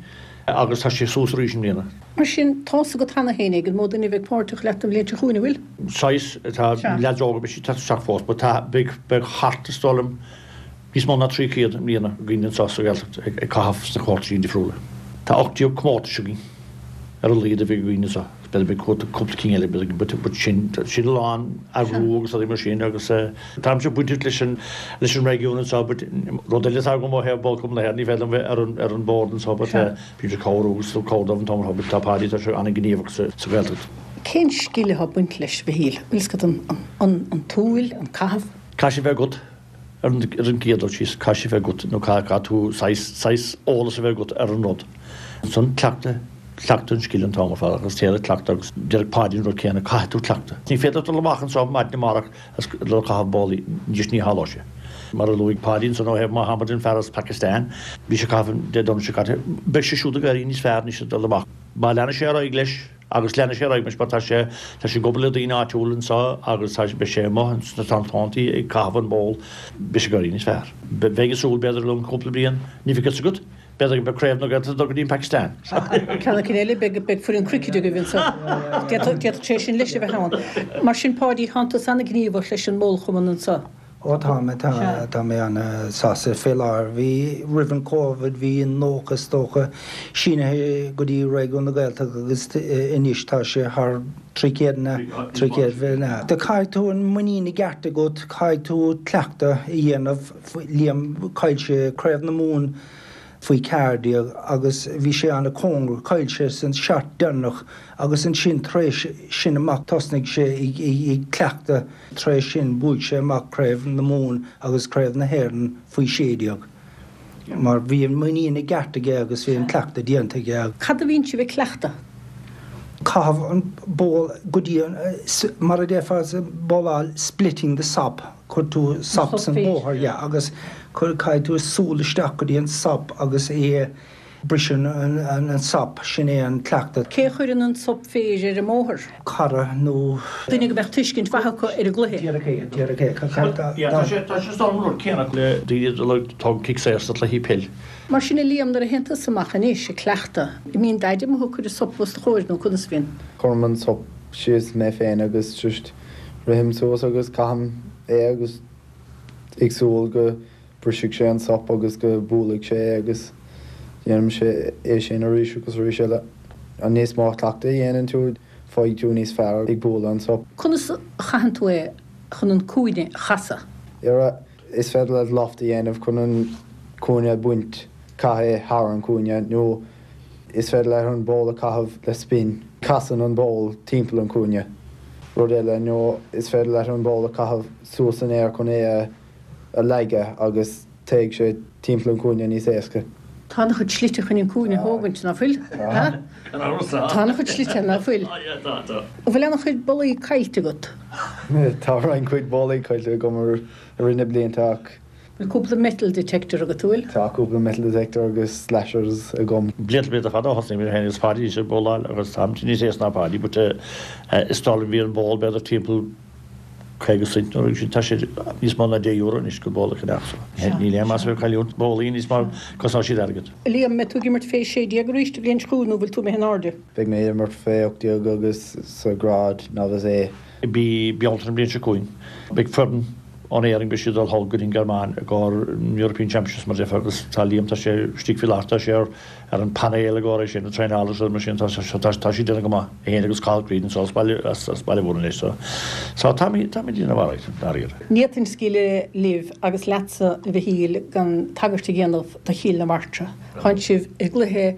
agus tá sé suas arís i mbliana. Mar sin, tá's agat cheana féin ag an mó duine a bheidh páirteach leat an bhliain seo chugainn, an bhfuil? Saghas, tá leaids óga, beidh siad ag teacht isteach fós, but tá, beidh, beidh thart, is dóigh liom, níos mó ná 300 i mbliana againn anseo sa Ghaeltacht ag caitheamh sna comórtaisí difriúla. Tá 18 comórtais againn ar a laghad a bheidh againn anseo. B'fhéidir beidh cúpla cinn eile but but sin sin a lán eagrú agus rudaí mar sin agus táimse bainteach leis an leis an réigiún anseo but rud eile atá agam ó thaobh Bólchumann na hÉireann ní féidir liom bheith ar an ar an bord anseo but bím ag cabhrú agus ag cabhrú dóibh an t-am ar fad but tá Páidí tá sé an-ghníomhach sa sa Ghaeltacht. Cén scil atá ag baint leis, a Mhichíl? Bhfuil fhios agat an an an tsúil, an caitheamh? Caithfidh sé bheith agat ar an ar an gcéad dul síos caithfidh sé bheith agat nó caithfidh tú saghas saghas eolas a bheith agat ar an rud. Ansan cleachtadh, cleachtadh an scil an t-am ar fad agus téir ag cleachtadh agus déarfadh Páidí an rud céanna, caithfidh tú cleachtadh. Ní féidir leat dul amach anseo maidin amárach agus dul ag caitheamh bólaí, just ní tharlóidh sé. Mar a luaigh Páidí ansan ó thaobh Mohammed an fear as Pakistan, bhí sé ag caitheamh Dé Domhnaigh seo caite, beidh sé siúd ag éirí níos fearr anois ag dul amach. Má leanann sé ar aghaidh leis, Agus leanfaidh sé ar aghaidh mar tá sé, tá sé ag obair le daoine áitiúla anseo agus tá, beidh sé amuigh sna tráthnóntaí ag caitheamh an ból, beidh sé ag éirí níos fearr. Bheinn ag súil b'fhéidir i gceann cúpla bliain, ní bheidh fhios agat, b'fhéidir go mbeidh craobh na Gaeltachta ag dul go dtí an Phacastáin. Ceann eicínt eile, beidh, beidh foireann cruicéid agaibh anseo. D'fhéadfadh, d'fhéadfadh sé sin leis a bheith ann. Mar sin, Páidí, tánn tusa an-ghníomhach leis an mBólchumann anseo. Ó tá mé, tá, tá mé an-sásta fé láthair. Bhí, roimh an Covid, bhí 90 is dócha sínithe go dtí Réigiún na Gaeltachta agus anois tá sé thar 300 na, 300 na. Caithfidh tú an muinín i gceart agat, caithfidh tú cleachtadh a dhéanamh, Liam, chaill sé Craobh na Mumhan faoi 14 agus bhí sé an-cóngarach, chaill sé san shot deireanach agus ansin tar éis sin amach thosnaigh sé ag cleachtadh. Tar éis sin bhuaigh sé amach Craobh na Mumhan agus Craobh na hÉireann faoi 16 mar bhí an muinín i gceart aige agus bhí an cleachtadh déanta aige. Cad a bhíonn sibh ag cleachtadh? Caitheamh an ból go dtí an, mar a déarfá sa bhowláil splitting the sop, cuir tú sop san bóthar, yeah, agus caithfidh tú súil isteach go dtí an sop agus é a Briseann an sop, sin é an cleachtadh. Cé a chuireann an sop féir ar an mbóthar? Cara nó. Duine go mbeadh tuiscint mhaith acu ar an gcluiche. Díreach é, díreach é. Tá sé, tá sé san rud céanna le daoine a dul ag tógaint cic saor sna cluichí peil. Mar sin a Liam, nuair a théann tusa amach anois ag cleachtadh, an mbíonn Daid amuigh ag cur an sop os do chomhair nó conas a bhíonn? Cuirim an sop síos mé féin agus just rithim suas agus caithim é agus ag súil go Brisfidh sé an sop agus go buailfidh sé é agus déanaimse é sin arís agus arís eile. An níos mó cleachtaidh a dhéanann tú, faighidh tú níos fearr ag bualadh an sop. Conas a chaitheann tú é chun an cúinne a chasadh? Ara, is féidir leat loft a dhéanamh chun an cúinne a bhaint, caith é thar an cúinne, nó is féidir leat an ból a chaitheamh le spin, casann an ból timpeall an cúinne. Rud eile, nó is féidir leat an ból a chaitheamh suas san aer chun é a. a leagadh agus téigh sé timpeall an chúinne níos éasca. Tá an-chuid slite chun an cúinne a thógaint, ná fuil? Ha? Tá an-chuid slite, ná fuil? An bhfuil an-chuid bollaí caillte agat? Tá roinnt cuid bollaí caillte agam i rith na blianta ach. Bhfuil cúpla metal detector agat, an bhfuil? Tá cúpla metal detector agus slashers agam. Blianta blianta fada ó thosnaigh mé féin agus Páidí ag bowláil agus táimse níos aosta ná Páidí but is dóigh liom bhí an ból b'fhéidir timpeall 50 cent nó sin tá sé níos mó ná 10 euro anois go ból a cheannach so níl aon mhaith a bheith ag cailliúint bólaí níos mar cosnóidh siad airgead. Liam, mbeidh tú ag imirt fé 16 arís an bhliain seo chugainn nó bhfuil tú imithe in airde? Beidh mé ag imirt fé 18 agus sa ghrád Novice A. I mí Bealtaine an bhliain seo chugainn beidh foireann. Ón Éirinn beidh siad ag dul thall go dtí an Ghearmáin i gcomhair European Championships mar a déarfá agus tá Liam tá sé istigh faoi láthair tá sé ar ar an panel i gcomhair é sin, ag traenáil agus rudaí mar sin tá tá tá siad déanamh go maith é féin agus Cathal Creed anseo as baile as as Baile Mhúirne anois so so táimid táimid déanamh alright dáiríre. Ní fhéadfainn scaoileadh libh agus leatsa a Mhichíl gan tagairt a dhéanamh do Chill na Martra. Tánn sibh i gcluiche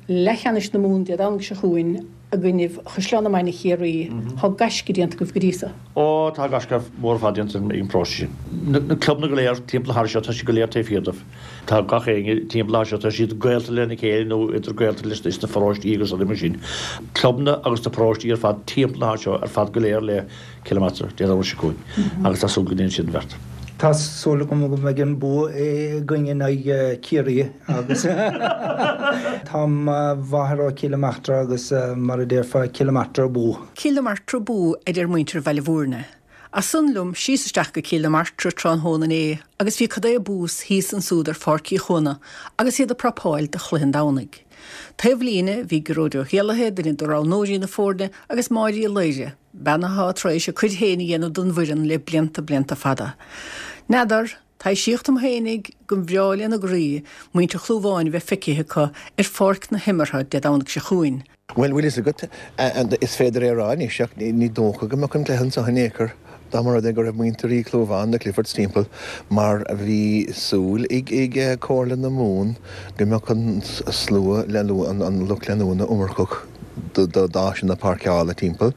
leathcheannais na Mumhan Dé Domhnaigh seo chugainn. i gcoinnibh Chaisleán na Mainge Chiarraí. Tá gaisce déanta agaibh go dtí so. Ó, tá gaisce mór ar fad déanta ag an bparóiste sin. Na clubanna go léir timpeall na háite seo, tá siad go léir taobh thiar dóibh. Tá gach éinne timpeall na háite seo, tá siad gaolta lena chéile nó idir gaolta leis na paróistí agus rudaí mar sin. Clubanna agus na paróistí ar fad timpeall na háite seo ar fad go léir le Cill na Martra, Dé Domhnaigh seo chugainn agus tá súil go ndéanfaidh siad an bheart. Tá súil agam go mbeidh an bua againn in aghaidh Ciarraí agus tá mo mháthair ó Chill na Martra agus mar a déarfá Cill na Martra abú. Cill na Martra abú a deir muintir Bhaile Bhúirne. As san liom síos isteach go Cill na Martra tráthnóna inné agus bhí cad é bús thíos ansúd ar Pháirc Uí Chuana agus iad ag prapáil do chluiche an Domhnaigh. Taobh líne bhí Gearóid Ó hÉallaithe, duine de roghnóirí na foirne, agus Máire Uí Laoire, bean atá tar éis a cuid féin a dhéanamh don bhfoireann le blianta blianta fada. N'fheadar, taibhsíodh dom fhéinig go mbreá lena gcroí muintir Chlúmháin a bheith feicithe acu ar pháirc na himeartha Dé Domhnaigh seo chugainn. Bhuel, bhfuil fhios agat, is féidir é a rá anois ach ní dócha go mbeadh an cluiche anseo in aon chor dá mba rud é go raibh muintir Uí Chlúmháin, na Cliffords timpeall mar bhí súil ag Comhairle na Mumhan go mbeadh an slua, an lucht leanúna iomarcach. d'áiseanna páirceála timpeall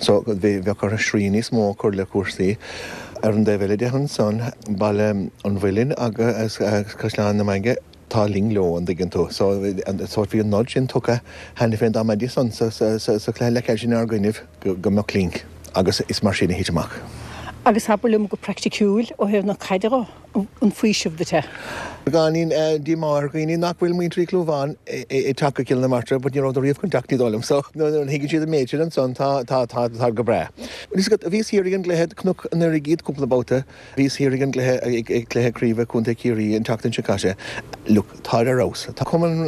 so bheadh orthu srian níos mó a chur le cúrsaí. Ar an dtaobh eile de ansan, Baile an Mhuilinn agus Caisleán na Mainge, tá link leo, an dtuigeann tú. So so bhí an nod sin tugtha cheana féin dá mbeidís ann sa sa chluiche leathcheannais inár gcoinnibh go mbeadh link agus is mar sin a thit amach. Agus abair liom go praiticiúil, ó thaobh na caide dho? an faoiseamh duit é. Beagáinín díomá ar dhaoine nach bhfuil muintir Uí Chlúmháin ag teacht go Cill na Martra but ní rabhadar riamh chun teacht ní dóigh liom so nuair a thuigeann siad an méid sin ansan tá tá tá tá go breá. Bhfuil fhios agat bhíos thiar ag an gcluiche Cnoc an Airgid cúpla babhta bhíos thiar ag an gcluiche ag cluiche craoibhe Contae Chiarraí an tseachtain seo caite look táid ar fheabhas tá cumann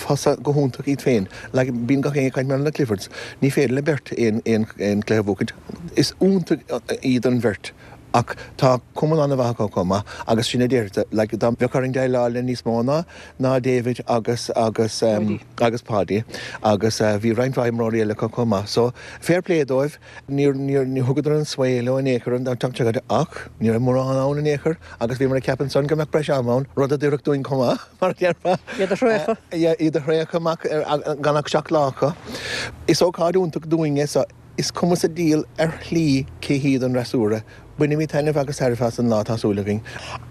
fosta go hiontach iad féin like bíonn gach éinne ag caint mar na Cliffords ní féidir le beirt aon aon aon cluiche a bhuachaint is iontach iad an bheirt Ach tá cumann an-mhaith acu chomh maith agus sin a déarfadh, like, dá mbeadh orainn déileáil le níos mó ná, ná David agus, agus, em, agus Páidí agus eh bhí roinnt mhaith imreoirí eile acu chomh maith. So, fair play dóibh, níor, níor, níor thugadar an svae leo in aon chor an tseachtain seo caite ach ní raibh mórán ann in aon chor agus bhíomar ag ceapadh ansan go mbeadh breis ama ann, rud a d'oirfeadh dúinn chomh maith, mar a déarfá. Iad a thraochadh. Yeah, iad a thraochadh amach ar, gan ach seacht lá acu. Is ócáid iontach dúinn é so. Is cuma sa diabhal ar shlí cé hiad an fhreasúra, bainfimid taitneamh agus tairbhe as an lá, tá súil againn.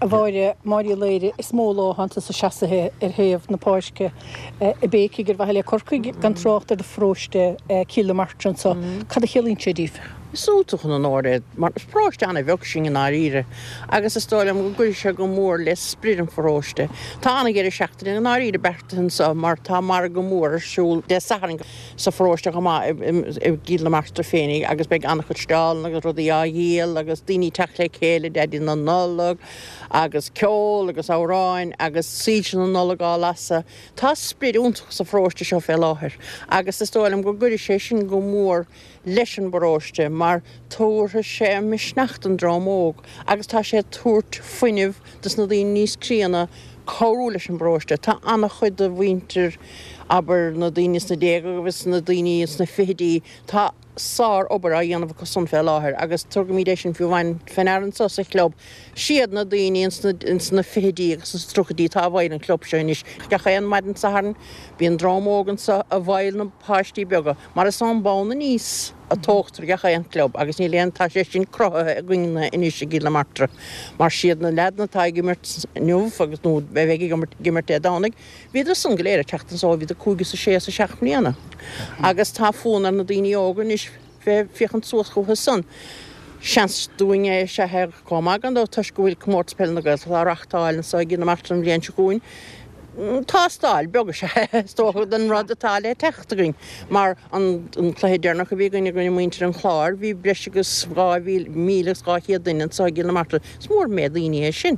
A Mháire, Máire Uí Laoire, is mó lá atánn tusa seasaithe ar thaobh na páirce ag béicigh ar mhaithe le Corcaigh, gan trácht ar do pharóiste Cill na Martra anso. Cad a chiallaíonn sé daoibh? Is iontach an onóir é, mar is paróiste an-bheag sinn i ndáiríre agus is dóigh liom go gcuirfidh sé go mór le sprid an pharóiste. Tá an-dheireadh seachtaine i ndáiríre beartaithe anso mar tá margadh mór ar siúl Dé Sathairn. sa pharóiste chomh maith i gCill na Martra féinig agus beidh an-chuid steallanna agus rudaí á dhíol agus daoine ag teacht le chéile Daidí na Nollag agus ceol agus amhráin agus soilse na Nollag á lasadh. Tá sprid iontach sa pharóiste seo fé láthair agus is dóigh liom go gcuirfidh sé sin go mór leis an bparóiste mar tabharfaidh sé misneach don dream óg agus tá sé ag tabhairt fuinnimh dos na daoine níos críonna cabhrú leis an bparóiste. Tá an-chuid de mhuintir, abair, na daoine sna déaga agus na daoine sna fichidí, tá sár-obair á dhéanamh acu san fé láthair agus tugaimid é sin fiú amháin fé ndeara anso sa chlub. Siad na daoine ins na fichidí agus ins na tríochaidí atá i bhfeighil an chlub seo anois. Gach aon maidin Sathairn bíonn dream óg anso i bhfeighil na páistí beaga mar is ón mbonn aníos a tógtar gach aon chlub agus níl aon, tá sé sin cruthaithe againne anois i gCill na Martra mar siad na leaideanna atá ag imirt inniu agus, nó a bheidh ag imirt Dé Domhnaigh, bhíodar san go léir ag teacht anso ó bhíodar cúig is a sé is a seacht mbliana agus tá fonn ar na daoine óga anois bheith ag féachaint suas chucu san. Seans dúinn é is ea é chomh maith gan dabht toisc go bhfuil Comórtas Peile na Gaeltachta á reachtáil anso i gCill na Martra an bhliain seo chugainn. Tástáil beag is ea é is dócha don rud atá le teacht againn mar an cluiche deireanach a bhí againn i gcoinne muintir an Chláir bhí breis agus 2,200 duine anso i gCill na Martra. Is mór an méid daoine é sin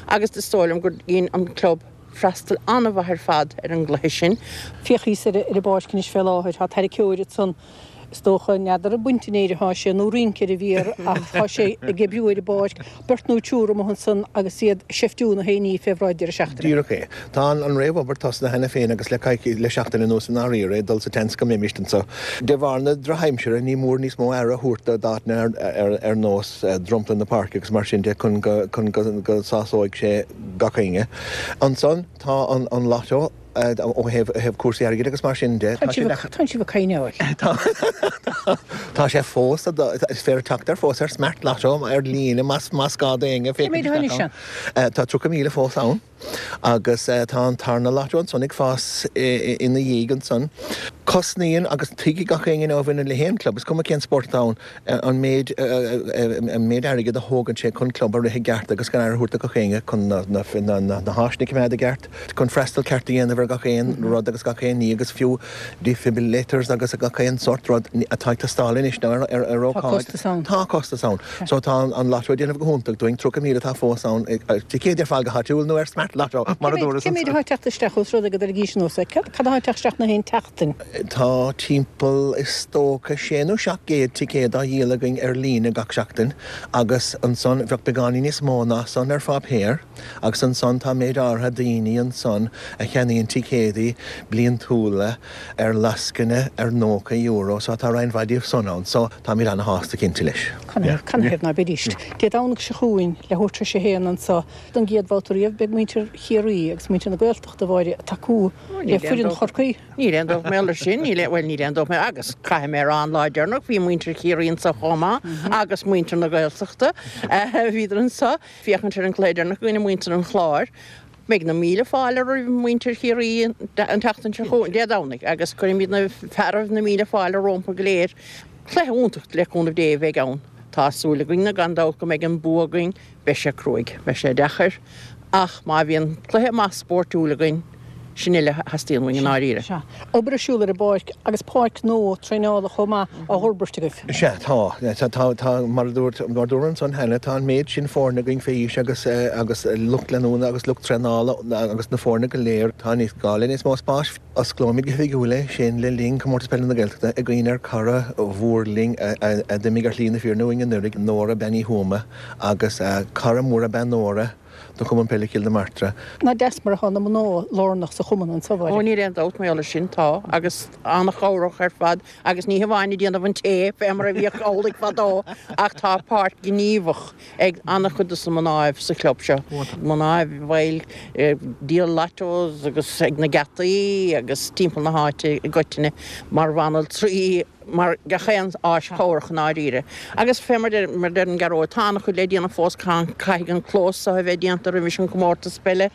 agus is dóigh liom gur dhein an club freastal an-mhaith ar fad ar an gcluiche sin. Féach thíos ar an bpáirc anois fé láthair. Tá tarraiceoir ansan. Is dócha, n'fheadar ag baint an fhéir atá sé nó rince ar an bhféar ach tá sé ag oibriú ar an bpáirc, beirt nó triúr amuigh ansan agus iad ag seiftiú na haon ní fé bhráid deireadh seachtaine. Díreach é. Tá an réamhobair tosnaithe cheana féin agus le coicís, le seachtain anuas i ndáiríre, ag dul sa tseans go mbeimis anso. De bharr na drochaimsire ní mór níos mó aire a thabhairt d'áiteanna ar nós dromchla na páirce agus mar sin de chun go chun go sásóidh sé gach éinne. Ansan tá an lotto. Ó thaobh cúrsaí airgid agus mar sin de, tá sé le. Tá sibh ag coinneáil. Tá sé fós, is féidir teacht air fós ar Smart Lotto ar líne más gá d'éinne féachaint isteach ann. Tá 30,000 fós ann agus tá an tarna lotto ansan ag fás ina dhiaidh ansan. Cosnaíonn agus tuigfidh gach éinne a bhaineann le haon club, is cuma cén spórt atá ann, an méid an méid airgid a thógann sé chun club a rith i gceart agus chun aire a thabhairt do gach éinne, chun na na háiseanna a choimeád i gceart, chun freastal ceart a dhéanamh ar gach aon rud agus gach aon ní agus fiú defibrillators agus gach aon sórt rud atá ag teastáil anois nó ar ar ar ócáid. Tá costas ann. Tá costas ann. So tá an lotto ag déanamh go hiontach dúinn, 30,000 atá fós ann, ticéid ar fáil go háitiúil nó ar Smart Lotto mar a dúras Cé méid atá ag teacht isteach ós rud é go dtar ag aois anuas é? Cad atá ag teacht isteach na haon tseachtain? Tá timpeall, is dócha, sé nó 700 ticéad á dhíol againn ar líne gach seachtain agus ansan bheadh beagáinín níos mó ná san ar pháipéar agus ansan tá méid áirithe daoine ansan a cheannaíonn ticéadaí bliantúla ar lascaine ar €90 so tá roinnt mhaith díobh san ann so táimid ana-shásta cinnte leis. Canathaobh ná beidís? Dé Domhnaigh seo chugainn, leathuair tar éis a haon anso don gcéad bhabhta riamh beidh muintir Chiarraí agus muintir na Gaeltachta, a Mháire, ag tacú le foireann Chorcaí. Níl aon dabht mar gheall air sin, níl aon, bhuel níl aon dabht mar, agus caithfidh mé a rá an lá deireanach bhí muintir Chiarraí anso chomh maith agus muintir na Gaeltachta, bhíodar anso féachaint ar an gcluiche deireanach i gcoinne muintir an Chláir. Beidh na míle fáilte roimh muintir Chiarraí an tseachtain seo chugainn, Dé Domhnaigh, agus cuirimid na fearaibh na míle fáilte rompu go léir. Cluiche iontach le cúnamh Dé a bheidh ann. Tá súil againn gan dabht go mbeidh an bua againn. Beidh sé cruaidh, beidh sé deacair, ach má bhíonn cluiche maith spóirtiúil againn, sin uile a theastaíonn uainn i ndáiríre. Sea. Obair ar siúl ar an bpáirc agus páirc nua traenála chomh maith á fhorbairt agaibh. Sea, tá. Tá, tá, mar a dúirt, mar a dúradh ansan cheana, tá an méid sin foirne againn fé aois agus, agus lucht leanúna agus lucht traenála agus na foirne go léir, tá níos, gá le níos mó spáis. Osclóimid go hoifigiúil é sin le linn Comórtas Peile na Gaeltachta i gcuimhne ar cara mhór linn a d'imigh ar shlí na fírinne uainn anuraidh, Nóra Bean Uí Thuama, agus cara mór ab ea Nóra do Chumann Peile Chill na Martra. Nach deas mar atá na mná lárnach sa chumann anso, a Mháire. Ó níl aon dabht mar gheall air sin, tá, agus an-chabhrach ar fad agus ní hamháin ag déanamh an tae fé mar a bhíodh amhlaidh fadó ach tá páirt ghníomhach ag an-chuid de na mnáibh sa chlub seo, mnáibh bhaill ag díol lottos agus ag na geataí agus timpeall na háite i gcoitinne, mar bhanaltraí, mar gach aon áis chabhrach i ndáiríre. Agus fé mar a deireann Gearóid, tá an-chuid le déanamh fós, caithfidh an clós seo a bheith déanta roimis an gcomórtas peile,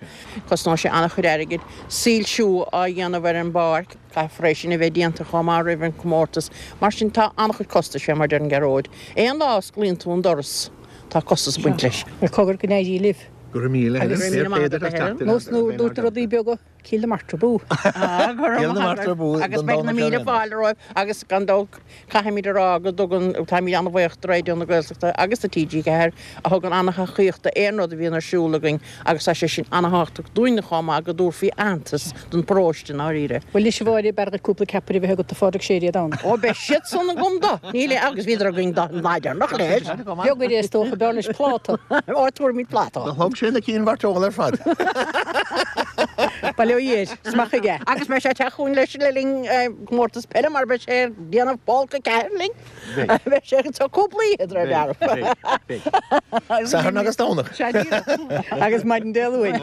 cosnóidh sé an-chuid airgid, soilsiú á dhéanamh ar an bpáirc. Caithfear é sin a bheith déanta chomh maith roimh an comórtas. Mar sin tá an-chuid costais fé mar a deireann Gearóid. Aon lá a osclaíonn tú an doras tá costas ag baint leis. Bhuel cogar go n-éirí libh. Go raibh míle Agus nós nuair dúirt na rudaí beaga, Cill na Martra Bú. Go raibh maith agat. Agus beidh na míle fáilte romhaibh agus gan dabht Caithfimid a rá go dtugann, táimid an-bhuíoch do Raidió na Gaeltachta agus do TG4 a thugann an-thacaíocht d'aon rud a bhíonn ar siúl againn agus tá sé sin an-thábhachtach dúinne chomh maith go dtabharfaí aitheantas don pharóiste i ndáiríre. Bhuel anois a Mháire, b'fhearr dhuit cúpla ceapaire a bheith agat do Phádraig Sé Dé Domhnaigh. Ó beidh siad san agam do, níl aon, agus bhíodar againn don lá deireanach leis. Beag é is dócha, b'fhearr leis pláta. Ó tabharfaimid pláta. Do thug sé na cinn mhairteola ar fad. Bail ó Dhia air, is maith aige. Agus beidh sé ag teacht chugainn leis le linn comórtas peile mar beidh sé ag déanamh folcadh ceathair linn. Beidh sé anseo cúpla oíche de réir dealraimh. Satharn agus Domhnach. Sea díreach. Agus maidin Dé Luain.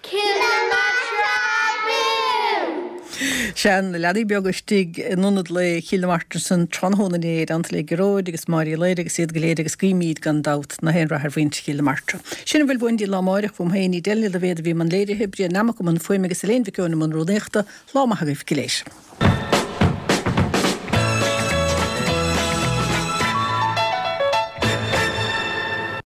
Cill na Martra abú! Sea, na leanaí beaga istigh in ionad lae Chill na Martra ansan tráthnóna inné, i dteannta le Gearóid agus Máire Uí Laoire agus iad go léir agus guímíd gan dabht na haon rath ar mhuintir Chill na Martra. Sin a bhfuil uainn go dtí lá amáireach, uaim féin, Edel Ní Loibhéad a bhí i mbun léirithe, Brian Nammock i mbun fuaime agus Elaine Mhic Eoin i mbun rúnaíochta. Lá maith agaibh go léir.